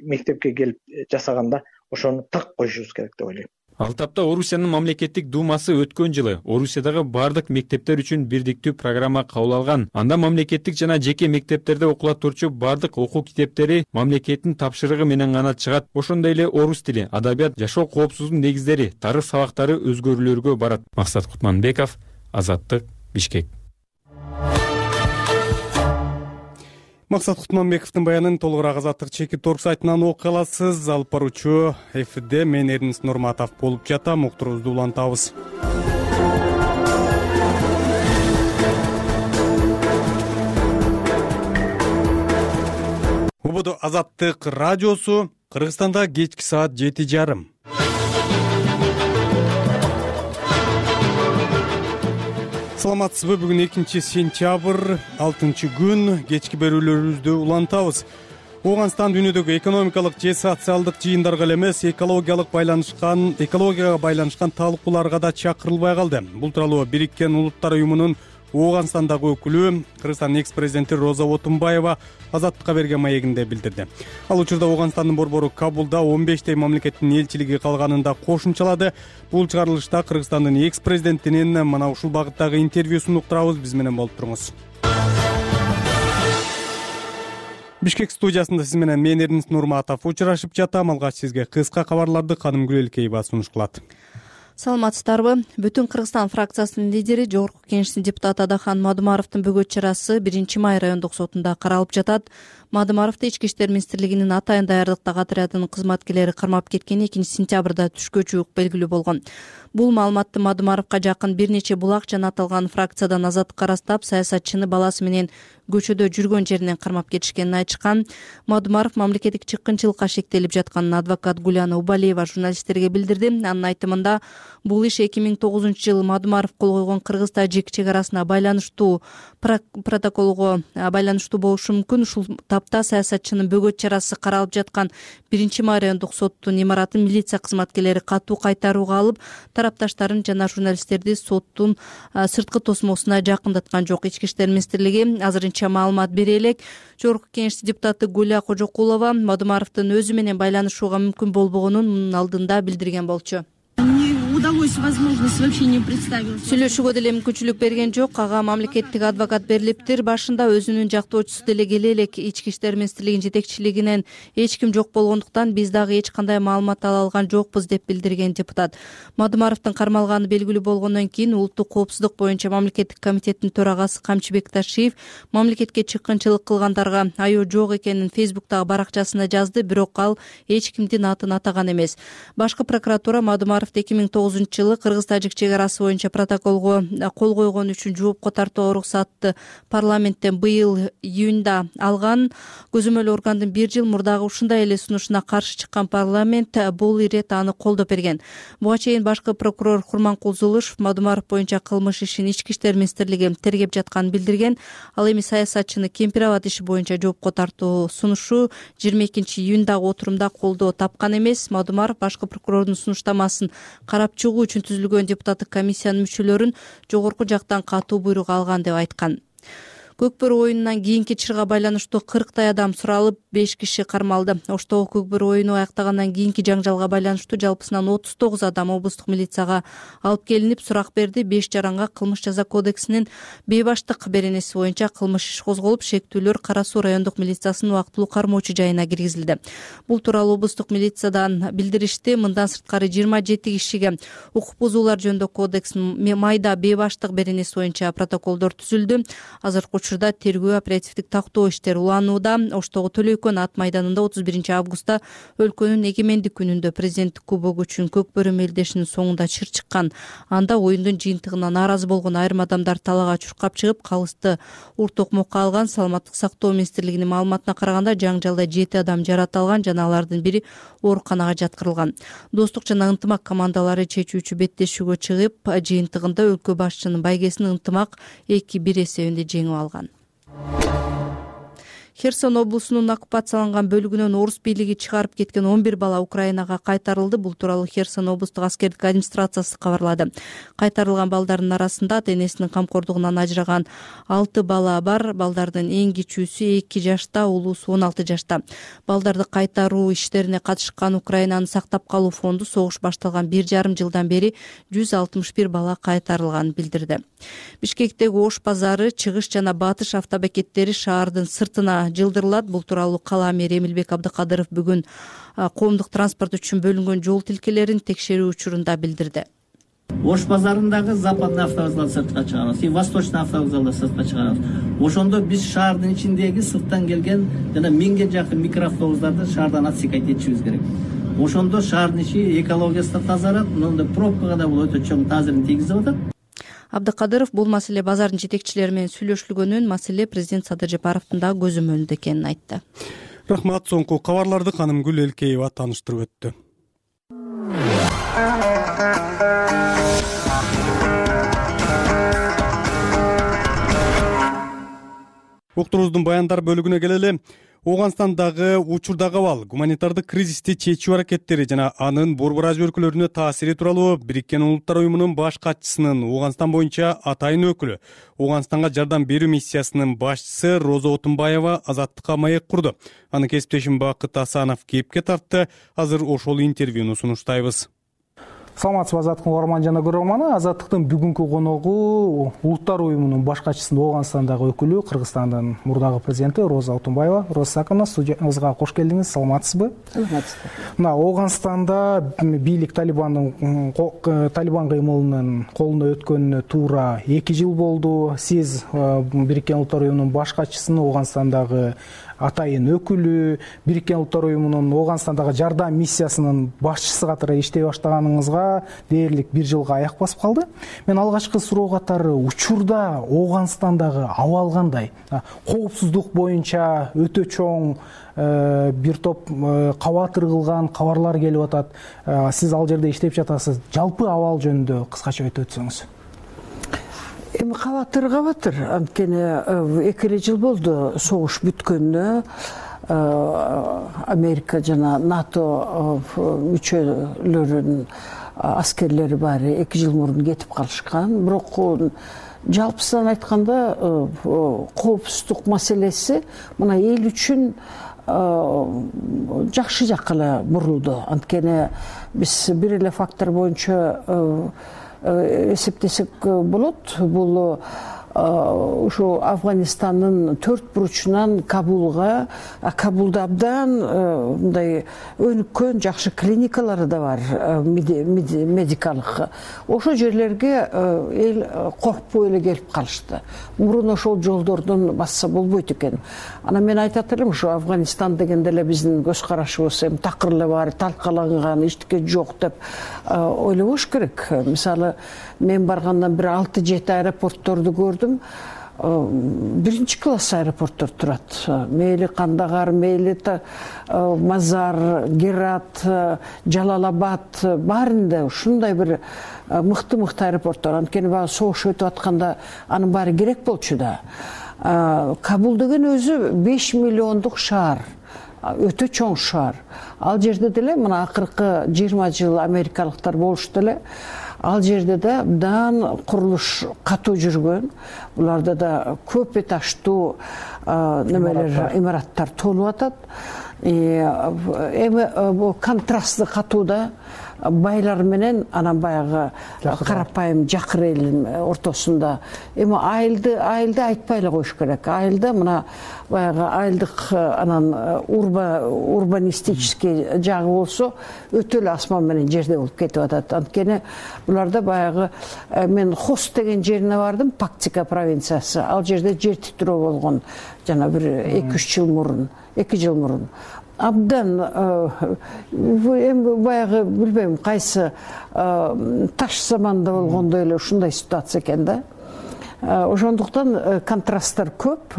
мектепке келип жасаганда ошону так коюшубуз керек деп ойлойм. Ал тапта Орусиянын мамлекеттик думасы өткөн жылы Орусиядагы бардык мектептер үчүн бирдиктүү программа кабыл алган. Анда мамлекеттик жана жеке мектептерде окула турчу бардык окуу китептери мамлекеттин тапшырыгы менен гана чыгат. Ошондой эле орус тили, адабият, жашоо коопсуздугунун негиздери, тарых сабактары өзгөрүүлөргө барат. Максат Кутманбеков, Азаттык, Бишкек. Максат Кутманбековдун баянын толугураак Азаттык чекит орг сайтынан окуй аласыз. Алып баруучу эфирде мен Эрнис Нурматов болуп жатам. Уктуруубузду улантабыз. Убуду Азаттык радиосу. Кыргызстанда кечки саат жети жарым. Саламатсызбы? Бүгүн экинчи сентябрь, алтынчы күн. Кечки берүүлөрүбүздү улантабыз. Ооганстан дүйнөдөгү экономикалык же социалдык жыйындарга эле эмес, экологиялык байланышкан, экологияга байланышкан талкууларга да чакырылбай калды. Бул тууралуу Бириккен Улуттар уюмунун Ооганстандагы өкүлү, Кыргызстандын экс-президенти Роза Отунбаева Азаттыкка берген маегинде билдирди. Ал учурда Ооганстандын борбору Кабулда он бештей мамлекеттин элчилиги калганын да кошумчалады. Бул чыгарылышта Кыргызстандын экс-президентинин мына ушул багыттагы интервьюсун уктурабыз. Биз менен болуп туруңуз. Бишкек студиясында сиз менен мен Эрнис Нурматов учурашып жатам. Алгач сизге кыска кабарларды Каным Гүлелкеева сунуш кылат. Саламатсыздарбы? Бүтүн Кыргызстан фракциясынын лидери, Жогорку Кеңештин депутаты Адахан Мадумаровдун бөгөт чарасы биринчи май райондук сотунда каралып жатат. Мадумаровду Ички иштер министрлигинин атайын даярдыктагы отрядынын кызматкерлери кармап кеткени экинчи сентябрда түшкө жуук белгилүү болгон. Бул маалыматты Мадумаровго жакын бир нече булак жана аталган фракциядан Азаттыкка ырастап, саясатчыны баласы менен көчөдө жүргөн жеринен кармап кетишкенин айтышкан. Мадумаров мамлекеттик чыккынчылыкка шектелип жатканын адвокат Гуляна Убалиева журналисттерге билдирди. Анын айтымында, бул иш эки миң тогузунчу жылы Мадумаров кол койгон Кыргыз-Тажик чек арасына байланыштуу протоколго байланыштуу болушу мүмкүн. Ушул тапта саясатчынын бөгөт чарасы каралып жаткан биринчи май райондук соттун имаратын милиция кызматкерлери катуу кайтарууга алып, тарапташтарын жана журналисттерди соттун сырткы тосмосуна жакындаткан жок. Ички иштер министрлиги азырынча маалымат бере элек. Жогорку Кеңештин депутаты Гуля Кожокулова Мадумаровдун өзү менен байланышууга мүмкүн болбогонун мунун алдында билдирген болчу. Удалось возможность вообще не представилась. Сүйлөшүүгө деле мүмкүнчүлүк берген жок. Ага мамлекеттик адвокат берилиптир. Башында өзүнүн жактоочусу деле келе элек. Ички иштер министрлигинин жетекчилигинен эч ким жок болгондуктан биз дагы эч кандай маалымат ала алган жокпуз деп билдирген депутат. Мадумаровдун кармалганы белгилүү болгондон кийин Улуттук коопсуздук боюнча мамлекеттик комитеттин төрагасы Камчыбек Ташиев мамлекетке чыккынчылык кылгандарга айоо жок экенин Фейсбуктагы баракчасына жазды, бирок ал эч кимдин атын атаган эмес. Башкы прокуратура Мадумаровду эки миң тогузунчу жылы Кыргыз-Тажик чек арасы боюнча протоколго кол койгон үчүн жоопко тартууга уруксатты парламенттен быйыл июнда алган. Көзөмөл органдын бир жыл мурдагы ушундай эле сунушуна каршы чыккан парламент бул ирет аны колдоп берген. Буга чейин башкы прокурор Курманкул Зулушев Мадумаров боюнча кылмыш ишин Ички иштер министрлиги тергеп жатканын билдирген. Ал эми саясатчыны Кемпир Абад иши боюнча жоопко тартуу сунушу жыйырма экинчи июндагы отурумда колдоо тапкан эмес. Мадумаров башкы прокурордун сунуштамасын карап чыгуу үчүн түзүлгөн депутаттык комиссиянын мүчөлөрүн жогорку жактан катуу буйрук алган деп айткан. Көкбөрү оюнунан кийинки чырга байланыштуу кырктай адам суралып, беш киши кармалды. Оштогу Көкбөрү оюну аяктагандан кийинки жаңжалга байланыштуу жалпысынан отуз тогуз адам облустук милицияга алып келинип, сурак берди. беш жаранга кылмыш жаза кодексинин бейбаштык беренеси боюнча кылмыш иш козголуп, шектүүлөр Кара Суу райондук милициясынын убактылуу кармоочу жайына киргизилди. Бул тууралуу облустук милициядан билдиришти. Мындан сырткары жыйырма жети кишиге укук бузуулар жөнүндө кодекстин майда бейбаштык беренеси боюнча протоколдор түзүлдү. Азыркы учурда тергөө оперативдик тактоо иштери уланууда. Оштогу Төлөйкөн ат майданында отуз биринчи августта өлкөнүн эгемендик күнүндө президенттик кубогу үчүн Көкбөрү мелдешинин соңунда чыр чыккан. Анда оюндун жыйынтыгына нааразы болгон айрым адамдар талаага чуркап чыгып, калысты ур токмокко алган. Саламаттык сактоо министрлигинин маалыматына караганда жаңжалда жети адам жараталган жана алардын бири ооруканага жаткырылган. Достук жана ынтымак командалары чечүүчү беттешүүгө чыгып, жыйынтыгында өлкө башчынын байгесин ынтымак эки бир эсебинде жеңип алган. Херсон облусунун оккупацияланган бөлүгүнөн орус бийлиги чыгарып кеткен он бир бала Украинага кайтарылды. Бул тууралуу Херсон облустук аскердик администрациясы кабарлады. Кайтарылган балдардын арасында ата энесинин камкордугунан ажыраган алты бала бар. Балдардын эң кичүүсү эки жашта, улуусу он алты жашта. Балдарды кайтаруу иштерине катышкан Украинаны сактап калуу фонду согуш башталган бир жарым жылдан бери жүз алтымыш бир бала кайтарылганын билдирди. Бишкектеги Ош базары, чыгыш жана батыш автобекеттери шаардын сыртына жылдырылат. Бул тууралуу кала мэри Эмилбек Абдыкадыров бүгүн коомдук транспорт үчүн бөлүнгөн жол тилкелерин текшерүү учурунда билдирди. Ош базарындагы западный автовокзал сыртка чыгарабыз, и восточный автовокзалда сыртка чыгарабыз. Ошондо биз шаардын ичиндеги сырттан келген жана миңге жакын микроавтобустарды шаардан отсекать этишибиз керек. Ошондо шаардын ичи экологиясы да тазарат, мындай пробкага да бул өтө чоң таасирин тийгизип атат. Абдыкадыров бул маселе базардын жетекчилери менен сүйлөшүлгөнүн, маселе президент Садыр Жапаровдун да көзөмөлүндө экенин айтты. Рахмат. Соңку кабарларды Канымгүл Элкеева тааныштырып өттү. Уктуруубуздун баяндар бөлүгүнө келели. Ооганстандагы учурдагы абал, гуманитардык кризисти чечүү аракеттери жана анын Борбор Азия өлкөлөрүнө таасири тууралуу Бириккен Улуттар уюмунун баш катчысынын Ооганстан боюнча атайын өкүлү, Ооганстанга жардам берүү миссиясынын башчысы Роза Отунбаева азаттыкка маек курду. Анын кесиптешим Бакыт Асанов кепке тартты. Азыр ошол интервьюну сунуштайбыз. Саламатсызбы Азаттыктын угарман жана көрөрманы. Азаттыктын бүгүнкү коногу Улуттар уюмунун баш катчысынын Ооганстандагы өкүлү, Кыргызстандын мурдагы президенти Роза Отунбаева. Роза Сакановна, студиябызга кош келдиңиз. Саламатсызбы? Саламатсызбы. Мына Ооганстанда бийлик Талибандын Талибан кыймылынын колуна өткөнүнө туура эки жыл болду. Сиз Бириккен Улуттар уюмунун баш катчысынын Ооганстандагы атайын өкүлү, Бириккен Улуттар уюмунун Ооганстандагы жардам миссиясынын башчысы катары иштей баштаганыңызга дээрлик бир жылга аяк басып калды. Мен алгачкы суроо катары учурда Ооганстандагы абал кандай? Коопсуздук боюнча өтө чоң бир топ кабатыр кылган кабарлар келип атат. Сиз ал жерде иштеп жатасыз. Жалпы абал жөнүндө кыскача айтып өтсөңүз. Эми кабатыр кабатыр, анткени эки эле жыл болду согуш бүткөнүнө. Америка жана НАТО мүчөлөрүнүн аскерлери баары эки жыл мурун кетип калышкан. Бирок жалпысынан айтканда коопсуздук маселеси мына эл үчүн жакшы жакка эле бурулду. Анткени биз бир эле фактор боюнча эсептесек болот. Бул ушу Афганистандын төрт буручунан Кабулга, Кабулда абдан мындай өнүккөн жакшы клиникалары да бар, медикалык. Ошол жерлерге эл коркпой эле келип калышты. Мурун ошол жолдордон басса болбойт экен. Анан мен айтат элем, ушу Афганистан дегенде эле биздин көз карашыбыз эми такыр эле бар, талкаланган, эчтеке жок деп ойлобош керек. Мисалы, мен баргандан бир алты жети аэропортторду көрдүм. Биринчи класс аэропорттор турат. Мейли Кандагар, мейли Мазар, Герат, Жалалабад, баарында ушундай бир мыкты-мыкты аэропорттор. Анткени баягы согуш өтүп атканда анын баары керек болчу да. Кабул деген өзү беш миллиондук шаар. Өтө чоң шаар. Ал жерде деле мына акыркы жыйырма жыл америкалыктар болушту эле. Ал жерде да абдан курулуш катуу жүргөн. Буларда да көп этаждуу немелер, имараттар толуп атат. Эми бул контрастты катуу да байлар менен анан баягы карапайым жакыр элдин ортосунда. Эми айылды айылды айтпай эле коюш керек. Айылда мына баягы айылдык анан урбанистический жагы болсо өтө эле асман менен жерде болуп кетип атат. Анткени буларда баягы мен Хост деген жерине бардым, Пактика провинциясы. Ал жерде жер титирөө болгон жана бир эки үч жыл мурун, эки жыл мурун. Абдан эми баягы билбейм кайсы таш заманда болгондой эле ушундай ситуация экен да. ошондуктан контрасттар көп.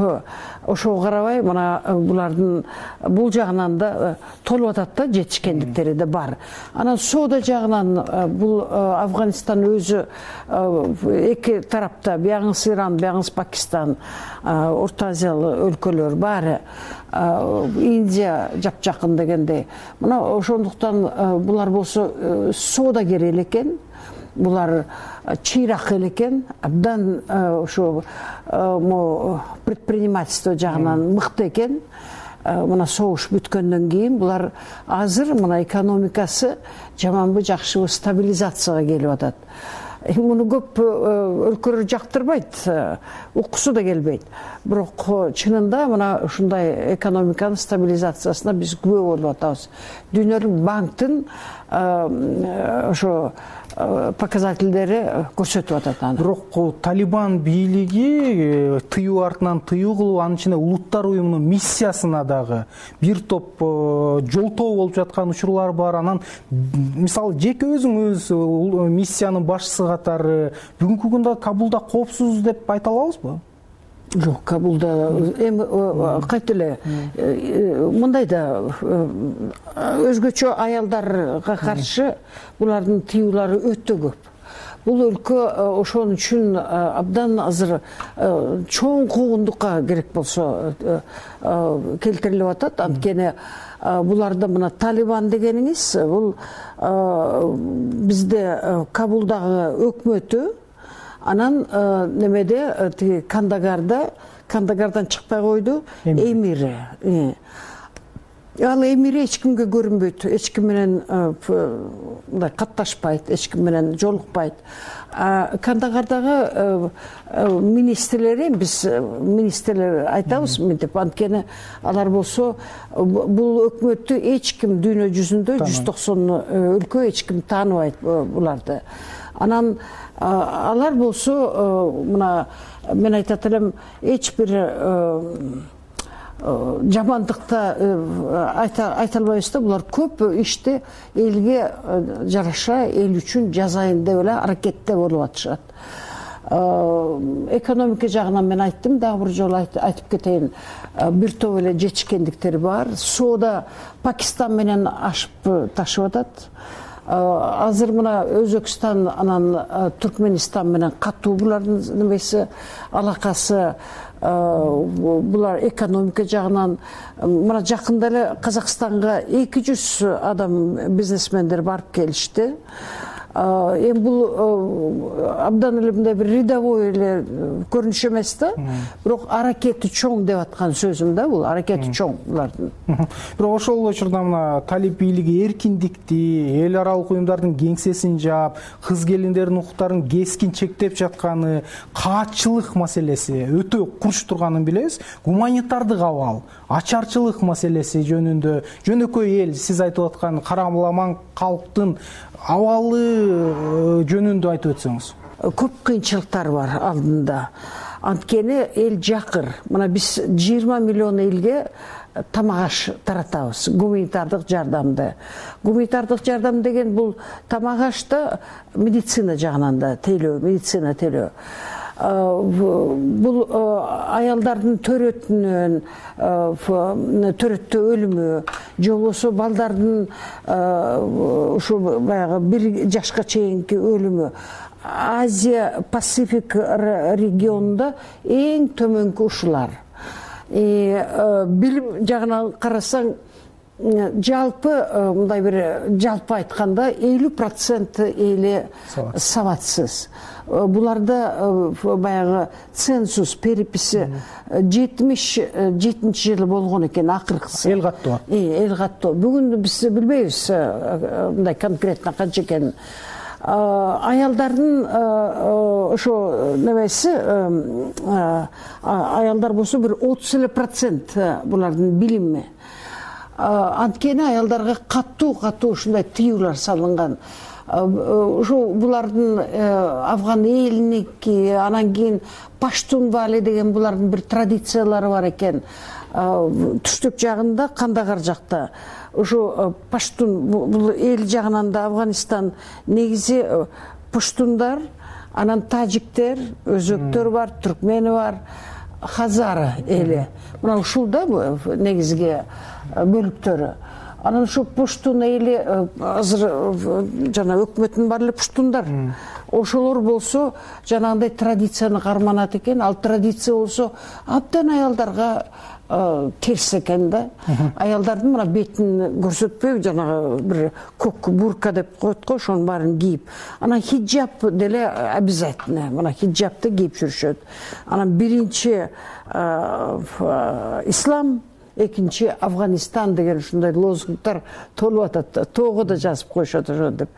Ошого карабай мына булардын бул жагынан да толуп атат да, жетишкендиктери да бар. Анан соода жагынан бул Афганистан өзү эки тарапта, биягыңыз Иран, биягыңыз Пакистан, Орто Азиялык өлкөлөр баары, Индия жапжакын дегендей. Мына ошондуктан булар болсо соодагер эле экен. Булар чыйрак эле экен, абдан ошо предпринимательство жагынан мыкты экен. Мына согуш бүткөндөн кийин булар азыр мына экономикасы жаманбы жакшыбы стабилизацияга келип атат. Муну көп өлкөлөр жактырбайт, уккусу да келбейт. Бирок чынында мына ушундай экономиканын стабилизациясына биз күбө болуп атабыз. Дүйнөлүк банктын ошо показательдери көрсөтүп атат аны. Бирок Талибан бийлиги тыюу артынан тыюу кылып, анын ичинде Улуттар уюмунун миссиясына дагы бир топ жолтоо болуп жаткан учурлар бар. Анан мисалы жеке өзүңүз миссиянын башчысы катары бүгүнкү күндө Кабулда коопсуз деп айта алабызбы? Жок, Кабулда эми кайт эле мындай да өзгөчө аялдарга каршы булардын тыюулары өтө көп. Бул өлкө ошон үчүн абдан азыр чоң куугундукка керек болсо келтирилип атат. Анткени буларда мына Талибан дегениңиз бул бизде Кабулдагы өкмөтү, анан немеде тиги Кандагарда, Кандагардан чыкпай койду, эмири. Ал эмири эч кимге көрүнбөйт, эч ким менен мындай катташпайт, эч ким менен жолукпайт. Кандагардагы министрлери, биз министрлер айтабыз мынтип, анткени алар болсо бул өкмөттү эч ким дүйнө жүзүндө жүз токсон өлкө эч ким тааныбайт буларды. Анан алар болсо мына мен айтат элем, эч бир жамандыкта айта албайбыз да, булар көп ишти элге жараша, эл үчүн жасайын деп эле аракетте болуп атышат. Экономика жагынан мен айттым, дагы бир жолу айтып кетейин. Бир топ эле жетишкендиктери бар. Соода Пакистан менен ашып ташып атат. Азыр мына Өзбекстан анан Түркменистан менен катуу булардын немеси, алакасы, булар экономика жагынан. Мына жакында эле Казакстанга эки жүз адам, бизнесмендер барып келишти. Эми бул абдан эле мындай бир рядовой эле көрүнүш эмес да, бирок аракети чоң деп аткан сөзүм да, бул аракети чоң булардын. Бирок ошол учурда мына талип бийлиги эркиндикти, эл аралык уюмдардын кеңсесин жаап, кыз келиндердин укуктарын кескин чектеп жатканы, каатчылык маселеси өтө курч турганын билебиз. Гуманитардык абал, ачарчылык маселеси жөнүндө жөнөкөй эл, сиз айтып аткан карамаламан калктын абалы жөнүндө айтып өтсөңүз. Көп кыйынчылыктар бар алдында. Анткени эл жакыр. Мына биз жыйырма миллион элге тамак аш таратабыз, гуманитардык жардамды. Гуманитардык жардам деген бул тамак ашты медицина жагынан да тейлөө, медицина тейлөө. Бул аялдардын төрөтүнөн, төрөттө өлүмү, же болбосо балдардын ушу баягы бир жашка чейинки өлүмү Азия Пасифик регионунда эң төмөнкү ушулар. Билим жагынан карасаң, жалпы мындай бир жалпы айтканда элүү процент эли сабатсыз. Буларда баягы ценсус, переписи жетимиш жетинчи жылы болгон экен, акыркысы. Эл каттоо. Эл каттоо. Бүгүн биз билбейбиз мындай конкретно канча экенин. Аялдардын ошо немеси, аялдар болсо бир отуз эле процент булардын билими. Анткени аялдарга каттуу каттуу ушундай тыюулар салынган. Ушу булардын Афган элиники, анан кийин паштун бали деген булардын бир традициялары бар экен. Түштүк жагында, Кандагар жакта ушу паштун бул эл жагынан да Афганистан негизи пуштундар, анан тажиктер, өзбектөр бар, түркмени бар, хазары эли. Мына ушул да негизги бөлүктөрү. Анан ушу пуштун эли азыр жана өкмөттүн бар эле пуштундар. Ошолор болсо жанагындай традицияны карманат экен. Ал традиция болсо абдан аялдарга терс экен да. Аялдардын мына бетин көрсөтпөй жанагы бир көк бурка деп коет го, ошонун баарын кийип. Анан хиджаб деле обязательно. Мына хиджабты кийип жүрүшөт. Анан биринчи ислам, экинчи Афганистан деген ушундай лозунгдар толуп атат. Тоого да жазып коюшат ошо деп.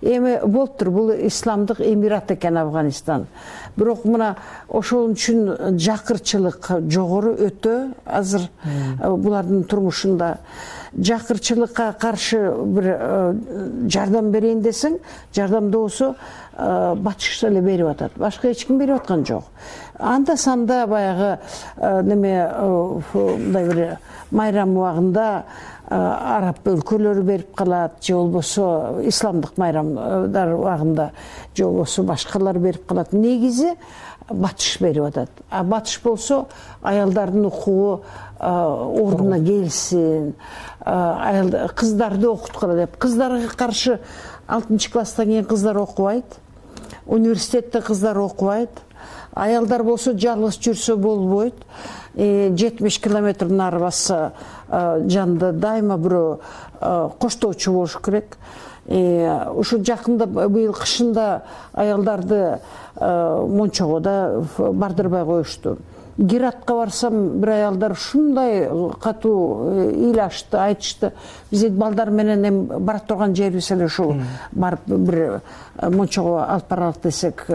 Эми болуптур, бул исламдык эмират экен Афганистан. Бирок мына ошол үчүн жакырчылык жогору өтө азыр булардын турмушунда. Жакырчылыкка каршы бир жардам берейин десең, жардамды болсо батыш эле берип атат. Башка эч ким берип аткан жок. Анда санда баягы неме мындай бир майрам убагында араб өлкөлөрү берип калат, же болбосо исламдык майрамдар убагында, же болбосо башкалар берип калат. Негизи батыш берип атат. А батыш болсо аялдардын укугу ордуна келсин, кыздарды окуткула деп. Кыздарга каршы алтынчы класстан кийин кыздар окубайт, университетте кыздар окубайт. Аялдар болсо жалгыз жүрсө болбойт. жетимиш километр нары басса жанында дайыма бирөө коштоочу болуш керек. Ушу жакында быйыл кышында аялдарды Мончого да бардырбай коюшту. Гиратка барсам, бир аялдар ушундай катуу ыйлашты, айтышты. Биз балдар менен эми бара турган жерибиз эле ушул. Барып бир Мончого алып баралык десек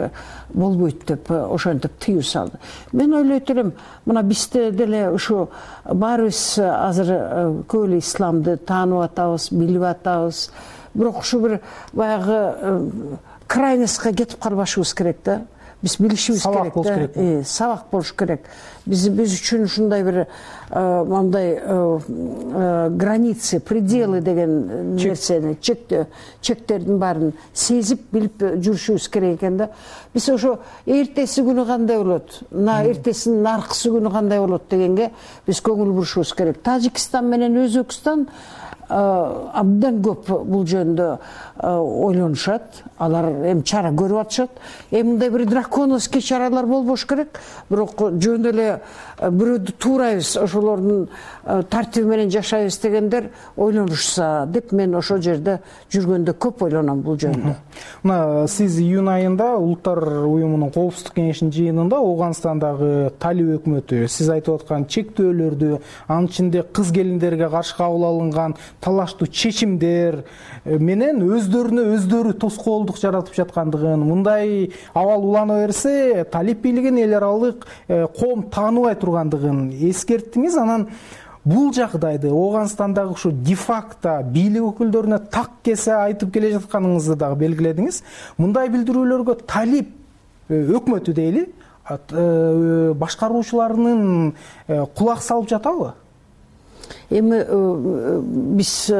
болбойт деп ошентип тыюу салды. Мен ойлойт элем, мына бизде деле ушу баарыбыз азыр көп эле исламды таанып атабыз, билип атабыз. Бирок ушу бир баягы крайностька кетип калбашыбыз керек да. Биз билишибиз керек да. Сабак болуш керек. Биз биз үчүн ушундай бир мындай границы, пределы деген нерсени, чектөө, чектердин баарын сезип билип жүрүшүбүз керек экен да. Биз ошо эртеси күнү кандай болот, мына эртесинин аркысы күнү кандай болот дегенге биз көңүл бурушубуз керек. Тажикстан менен Өзбекстан абдан көп бул жөнүндө ойлонушат. Алар эми чара көрүп атышат. Эми мындай бир драконовский чаралар болбош керек. Бирок жөн эле бирөөдү туурайбыз, ошолордун тартиби менен жашайбыз дегендер ойлонушса деп мен ошол жерде жүргөндө көп ойлоном бул жөнүндө. Мына сиз июнь айында Улуттар уюмунун коопсуздук кеңешинин жыйынында Ооганстандагы талиб өкмөтү сиз айтып аткан чектөөлөрдү, анын ичинде кыз келиндерге каршы кабыл алынган талаштуу чечимдер менен өздөрүнө өздөрү тоскоолдук жаратып жаткандыгын, мындай абал улана берсе талиб бийлигин эл аралык коом тааныбай тургандыгын эскерттиңиз. Анан бул жагдайды Ооганстандагы ушу де-факто бийлик өкүлдөрүнө так кесе айтып келе жатканыңызды дагы белгиледиңиз. Мындай билдирүүлөргө талиб өкмөтү дейли, башкаруучуларынын кулак салып жатабы? Эми биз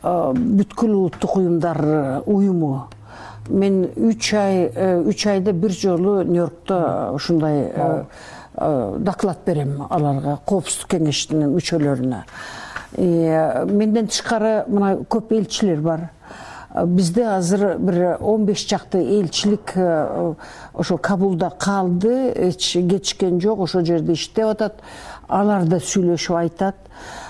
бүткүл улуттук уюмдар уюму. Мен үч ай үч айда бир жолу Нью-Йоркто ушундай доклад берем аларга, коопсуздук кеңешинин мүчөлөрүнө. Менден тышкары мына көп элчилер бар. Бизде азыр бир он беш чакты элчилик ошо Кабулда калды, эч кетишкен жок, ошол жерде иштеп атат. Алар да сүйлөшүп айтат.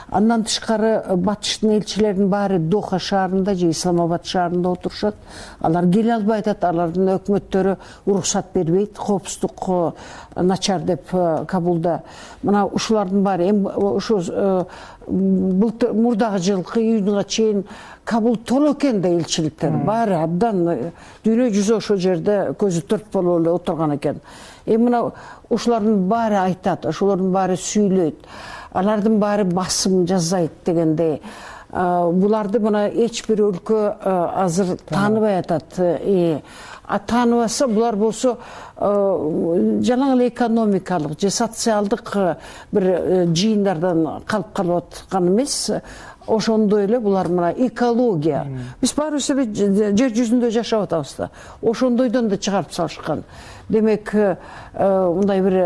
Андан тышкары батыштын элчилеринин баары Доха шаарында же Исламабад шаарында отурушат. Алар келе албай атат, алардын өкмөттөрү уруксат бербейт, коопсуздук начар деп Кабулда. Мына ушулардын баары эми ушу былтыр мурдагы жылкы июнга чейин Кабул толо экен да элчиликтер. Баары абдан дүйнө жүзү ошол жерде көзү төрт болуп эле отурган экен. Эми мына ушулардын баары айтат, ошолордун баары сүйлөйт. Алардын баары басым жасайт дегендей. Буларды мына эч бир өлкө азыр тааныбай атат. А тааныбаса булар болсо жалаң эле экономикалык же социалдык бир жыйындардан калып калып аткан эмес. ошондой эле булар мына экология. Биз баарыбыз эле жер жүзүндө жашап атабыз да. Ошондойдон да чыгарып салышкан. Демек, мындай бир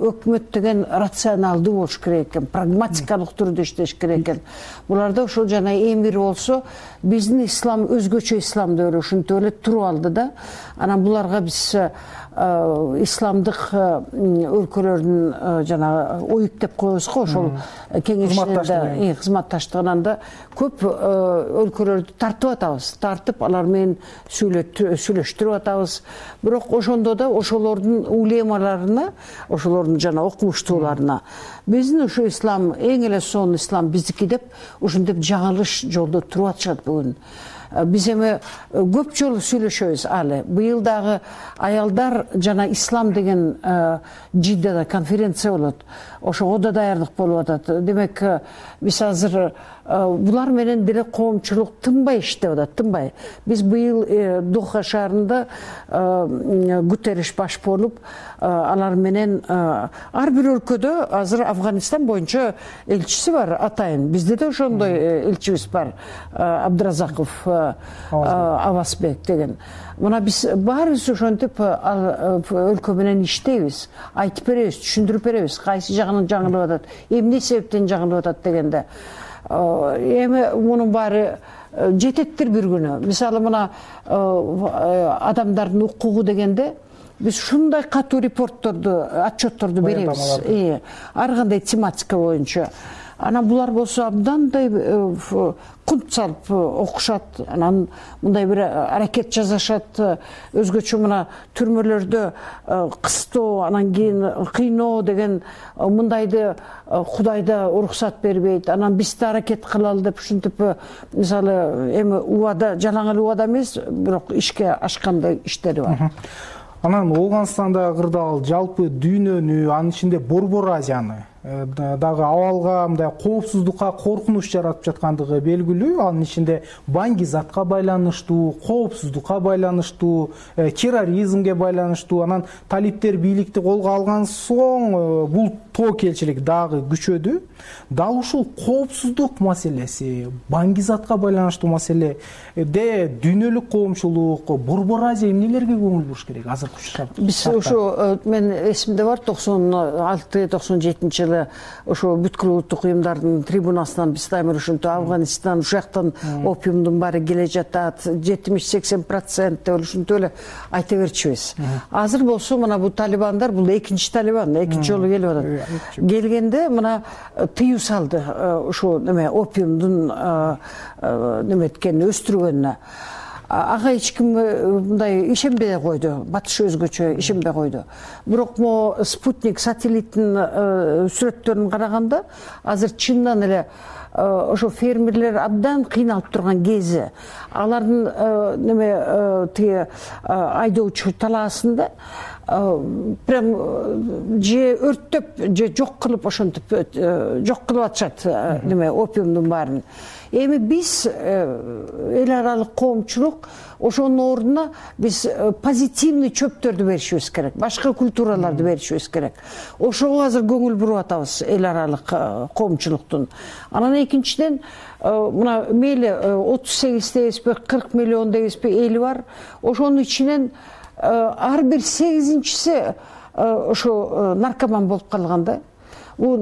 өкмөт деген рационалдуу болуш керек экен, прагматикалык түрдө иштеш керек экен. Буларда ошол жана эмир болсо, биздин ислам өзгөчө ислам деп эле ушинтип эле туруп алды да. Анан буларга биз исламдык өлкөлөрдүн жана оюп деп коебуз го, ошол кеңешинде кызматташтыгынан да көп өлкөлөрдү тартып атабыз. Тартып алар менен сүйлөштүрүп атабыз. Бирок ошондо да ошолордун улемаларына, ошолордун жана окумуштууларына биздин ошо ислам эң эле сонун ислам биздики деп ушинтип жаңылыш жолдо туруп атышат бүгүн. Биз эми көп жолу сүйлөшөбүз алы. Быйыл дагы аялдар жана ислам деген Жиддада конференция болот. Ошого да даярдык болуп атат. Демек, биз азыр булар менен деле коомчулук тынбай иштеп атат, тынбай. Биз быйыл Доха шаарында Гутерриш баш болуп, алар менен ар бир өлкөдө азыр Афганистан боюнча элчиси бар, атайын. Бизде да ошондой элчибиз бар, Абдыразаков Авасбек деген. Мына биз баарыбыз ошентип өлкө менен иштейбиз, айтып беребиз, түшүндүрүп беребиз, кайсы жагынан жаңылып атат, эмне себептен жаңылып атат дегенде. Эми мунун баары жететтир бир күнү. Мисалы мына адамдардын укугу дегенде биз ушундай катуу репортторду, отчетторду беребиз. Ар кандай тематика боюнча. Анан булар болсо абдандай кунт салып окушат, анан мындай бир аракет жасашат. Өзгөчө мына түрмөлөрдө кыстоо, анан кийин кыйноо деген мындайды Кудайда уруксат бербейт. Анан биз да аракет кылалы деп ушинтип, мисалы эми убада, жалаң эле убада эмес, бирок ишке ашкандай иштери бар. Анан Ооганстандагы кырдаал жалпы дүйнөнү, анын ичинде Борбор Азияны дагы абалга, мындай коопсуздукка коркунуч жаратып жаткандыгы белгилүү. Анын ичинде баңги-затка байланыштуу, коопсуздукка байланыштуу, терроризмге байланыштуу. Анан талиптер бийликти колго алган соң бул тобокелчилик дагы күчөдү. Дал ушул коопсуздук маселеси, баңги-затка байланыштуу маселеде дүйнөлүк коомчулук, Борбор Азия эмнелерге көңүл буруш керек азыр? Биз ошо, мен эсимде бар, токсон алты токсон жетинчи жылы ошо бүткүл улуттук уюмдардын трибунасынан биз дайыма ушинтип Афганистан, ушактан опиумдун баары келе жатат, жетимиш сексен процент деп ушинтип эле айта берчүбүз. Азыр болсо мына бул талибандар, бул экинчи талибан, экинчи жолу келип атат. Келгенде мына тыюу салды ошо неме опиумдун неметкени өстүргөнүнө. Ага эч ким мындай ишенбей койду, батыш өзгөчө ишенбей койду. Бирок могу спутник сателлиттин сүрөттөрүн караганда азыр чындан эле ошо фермерлер абдан кыйналып турган кези. Алардын неме тиги айдоочу талаасында прям же өрттөп, же жок кылып ошентип жок кылып атышат неме опиумдун баарын. Эми биз эл аралык коомчулук ошонун ордуна биз позитивный чөптөрдү беришибиз керек, башка культураларды беришибиз керек. Ошого азыр көңүл буруп атабыз эл аралык коомчулуктун. Анан экинчиден мына мейли отуз сегиз дебизби, кырк миллион дебизби эли бар. Ошонун ичинен ар бир сегизинчиси ошо наркоман болуп калган да. Бул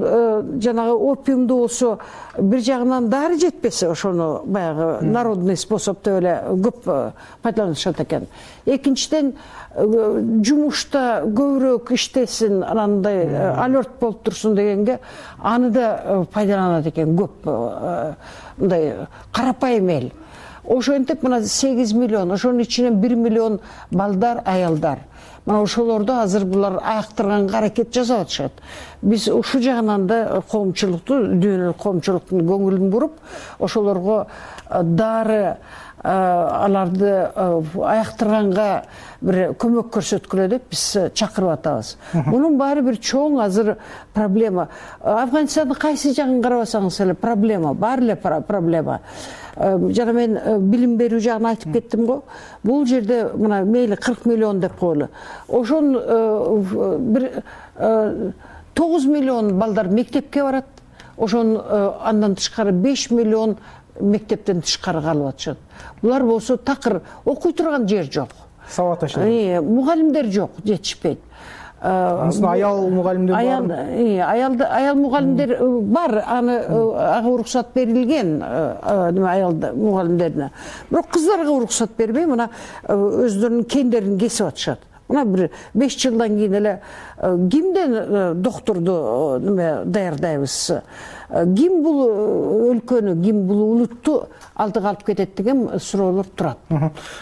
жанагы опиумду болсо бир жагынан дары жетпесе, ошону баягы народный способ деп эле көп пайдаланышат экен. Экинчиден жумушта көбүрөөк иштесин, анандай алерт болуп турсун дегенге аны да пайдаланат экен көп, мындай карапайым эл. Ошентип мына сегиз миллион, ошонун ичинен бир миллион балдар, аялдар. Мына ошолорду азыр булар аяктырганга аракет жасап атышат. Биз ушул жагынан да коомчулукту, дүйнөлүк коомчулуктун көңүлүн буруп, ошолорго дары, аларды аяктырганга бир көмөк көрсөткүлө деп биз чакырып атабыз. Мунун баары бир чоң азыр проблема. Афганистандын кайсы жагын карабасаңыз эле проблема, баары эле проблема. Жана мен билим берүү жагын айтып кеттим го. Бул жерде мына мейли кырк миллион деп коелу. Ошон бир тогуз миллион балдар мектепке барат. ошону андан тышкары беш миллион мектептен тышкары калып атышат. Булар болсо такыр окуй турган жер жок. Сабат ашат. Мугалимдер жок, жетишпейт. Анысы аял мугалимдер бар. Аял аял мугалимдер бар, аны ага уруксат берилген, неме аял мугалимдерине. Бирок кыздарга уруксат бербей, мына өздөрүнүн кендерин кесип атышат. Мына бир беш жылдан кийин эле кимден доктурду неме даярдайбыз? Ким бул өлкөнү, ким бул улутту алдыга алып кетет деген суроолор турат.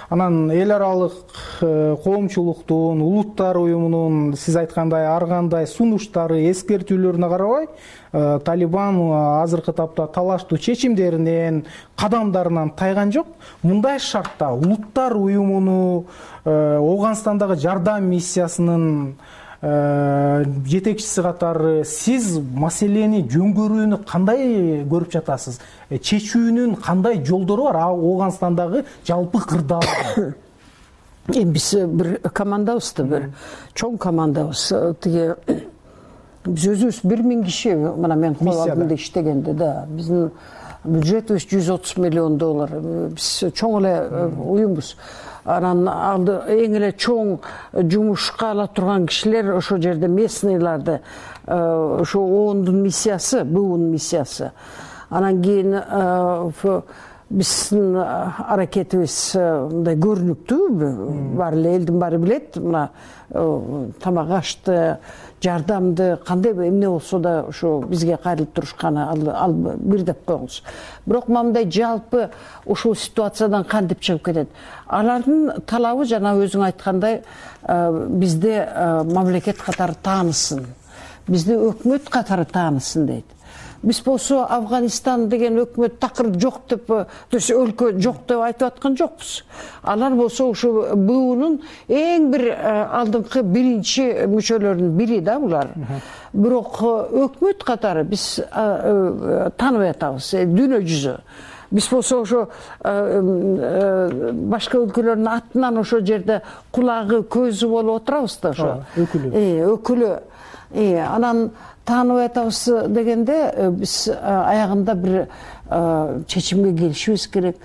Анан эл аралык коомчулуктун, улуттар уюмунун сиз айткандай ар кандай сунуштары, эскертүүлөрүнө карабай, Талибан азыркы тапта талаштуу чечимдеринен, кадамдарынан тайган жок. Мындай шартта улуттар уюмуну, Ооганстандагы жардам миссиясынын жетекчиси катары сиз маселени жөнгөрүүнү кандай көрүп жатасыз? Чечүүнүн кандай жолдору бар Ооганстандагы жалпы кырдаалда? Эми биз бир командабыз да, бир чоң командабыз. Тиги биз өзүбүз бир миң киши мына мен кол алдымда иштегенде да, биздин бюджетибиз жүз отуз миллион доллар. Биз чоң эле уюмбуз. Анан алды эң эле чоң жумушка ала турган кишилер ошо жерде местныйларды, ошо оондун миссиясы, БУнун миссиясы. Анан кийин биздин аракетибиз мындай көрүнүктүү, баары эле элдин баары билет, мына тамак ашты, жардамды кандай эмне болсо да ошо бизге кайрылып турушканы ал бир деп коюңуз. Бирок мындай жалпы ушул ситуациядан кантип чыгып кетет? Алардын талабы жана өзүң айткандай бизде мамлекет катары таанысын, бизди өкмөт катары таанысын дейт. Биз болсо Афганистан деген өкмөт такыр жок деп, то есть өлкө жок деп айтып аткан жокпуз. Алар болсо ушу БУнун эң бир алдыңкы биринчи мүчөлөрүнүн бири да булар. Бирок өкмөт катары биз тааныбай атабыз, дүйнө жүзү. Биз болсо ошо башка өлкөлөрдүн атынан ошо жерде кулагы, көзү болуп отурабыз да ошо. Өкүлү. Өкүлү. Анан тааныбай атабыз дегенде биз аягында бир чечимге келишибиз керек.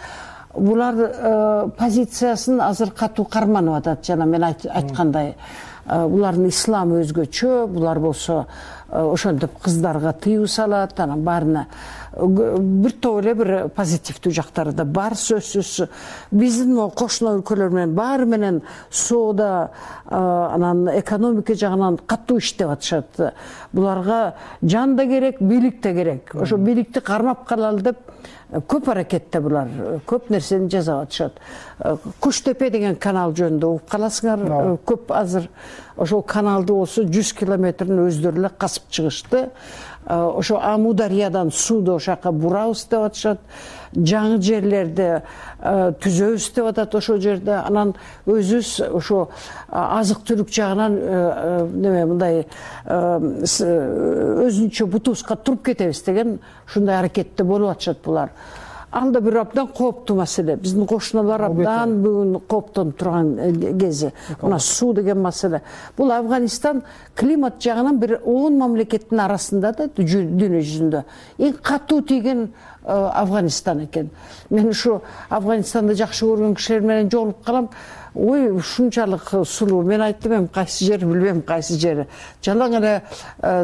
Булар позициясын азыр катуу карманып атат, жана мен айткандай. Булардын исламы өзгөчө, булар болсо ошентип кыздарга тыюу салат, анан баарына бир топ эле бир позитивдүү жактары да бар сөзсүз. Биздин кошуна өлкөлөр менен баары менен соода, анан экономика жагынан катуу иштеп атышат. Буларга жан да керек, бийлик да керек. Ошо бийликти кармап калалы деп көп аракетте булар, көп нерсени жасап атышат. Куштепе деген канал жөнүндө угуп каласыңар, көп азыр ошол каналды болсо жүз километрин өздөрү эле касып чыгышты. Ошо Амудариядан сууду ошака бурабыз деп атышат. Жаңы жерлерди түзөбүз деп атат ошол жерде. Анан өзүбүз ошо азык түлүк жагынан неме мындай өзүнчө бутуска туруп кетебиз деген ушундай аракетте болуп атышат булар. Ал да бир абдан кооптуу маселе. Биздин кошуналар абдан бүгүн кооптонуп турган кези. Мына суу деген маселе. Бул Афганистан климат жагынан бир он мамлекеттин арасында да дүйнө жүзүндө эң катуу тийген Афганистан экен. Мен ушу Афганистанды жакшы көргөн кишилер менен жолугуп калам. Ой, ушунчалык сулуу. Мен айттым, эми кайсы жери билбейм, кайсы жери. Жалаң эле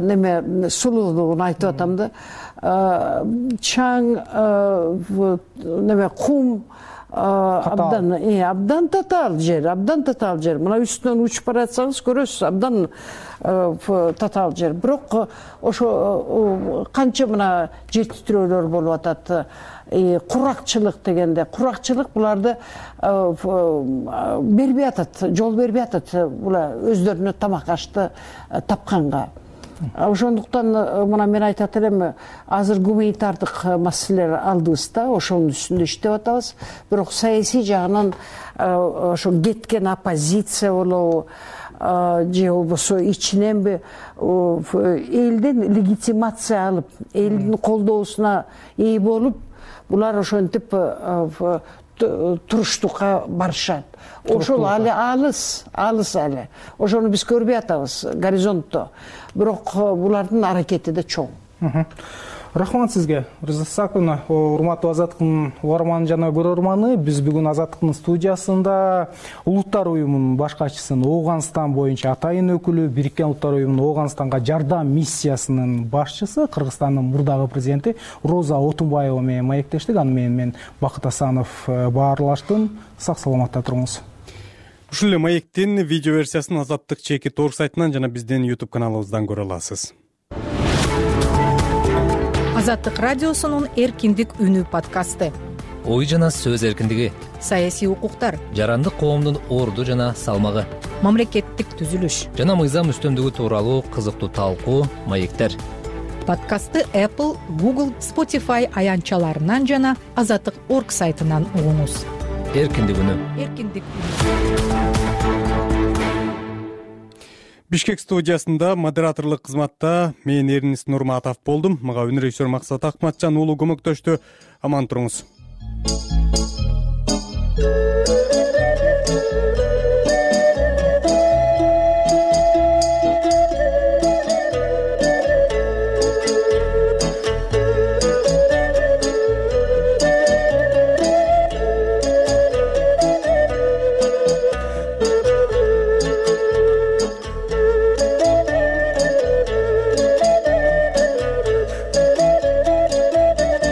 неме сулуулугун айтып атам да. Чаң, неме кум, абдан, абдан татаал жер, абдан татаал жер. Мына үстүнөн учуп баратсаңыз көрөсүз, абдан татаал жер. Бирок ошо канча мына жер титирөөлөр болуп атат. Куракчылык дегенде, куракчылык буларды бербей атат, жол бербей атат булар өздөрүнө тамак ашты тапканга. Ошондуктан мына мен айтат элем, азыр гуманитардык маселелер алдыбыз да, ошонун үстүндө иштеп атабыз. Бирок саясий жагынан ошо кеткен оппозиция болобу, же болбосо ичиненби элден легитимация алып, элдин колдоосуна ээ болуп, булар ошентип туруштукка барышат. Ошол али алыс, алыс али. Ошону биз көрбөй атабыз горизонтто. Бирок булардын аракети да чоң. Рахмат сизге, Риза Сакуна. Урматтуу Азаттыктын угарманы жана көрөрманы, биз бүгүн Азаттыктын студиясында Улуттар уюмунун баш катчысын, Ооганстан боюнча атайын өкүлү, Бириккен Улуттар уюмунун Ооганстанга жардам миссиясынын башчысы, Кыргызстандын мурдагы президенти Роза Отунбаева менен маектештик. Аны менен мен Бакыт Асанов баарлаштым. Сак саламатта туруңуз. Ушул эле маектин видео версиясын Азаттык чекит точка орг сайтынан жана биздин YouTube каналыбыздан көрө аласыз. Азаттык радиосунун эркиндик үнү подкасты. Ой жана сөз эркиндиги, Саясий укуктар, жарандык коомдун орду жана салмагы, мамлекеттик түзүлүш жана мыйзам үстөмдүгү тууралуу кызыктуу талкуу, маектер. Подкастты Apple, Google, Spotify аянтчаларынан жана азаттык точка орг сайтынан угуңуз. Эркиндик үнү. Эркиндик үнү. Бишкек студиясында модераторлук кызматта мен Эрнис Нурматов болдум. Мага үн режиссер Максат Акматжан уулу көмөктөштү. Аман туруңуз.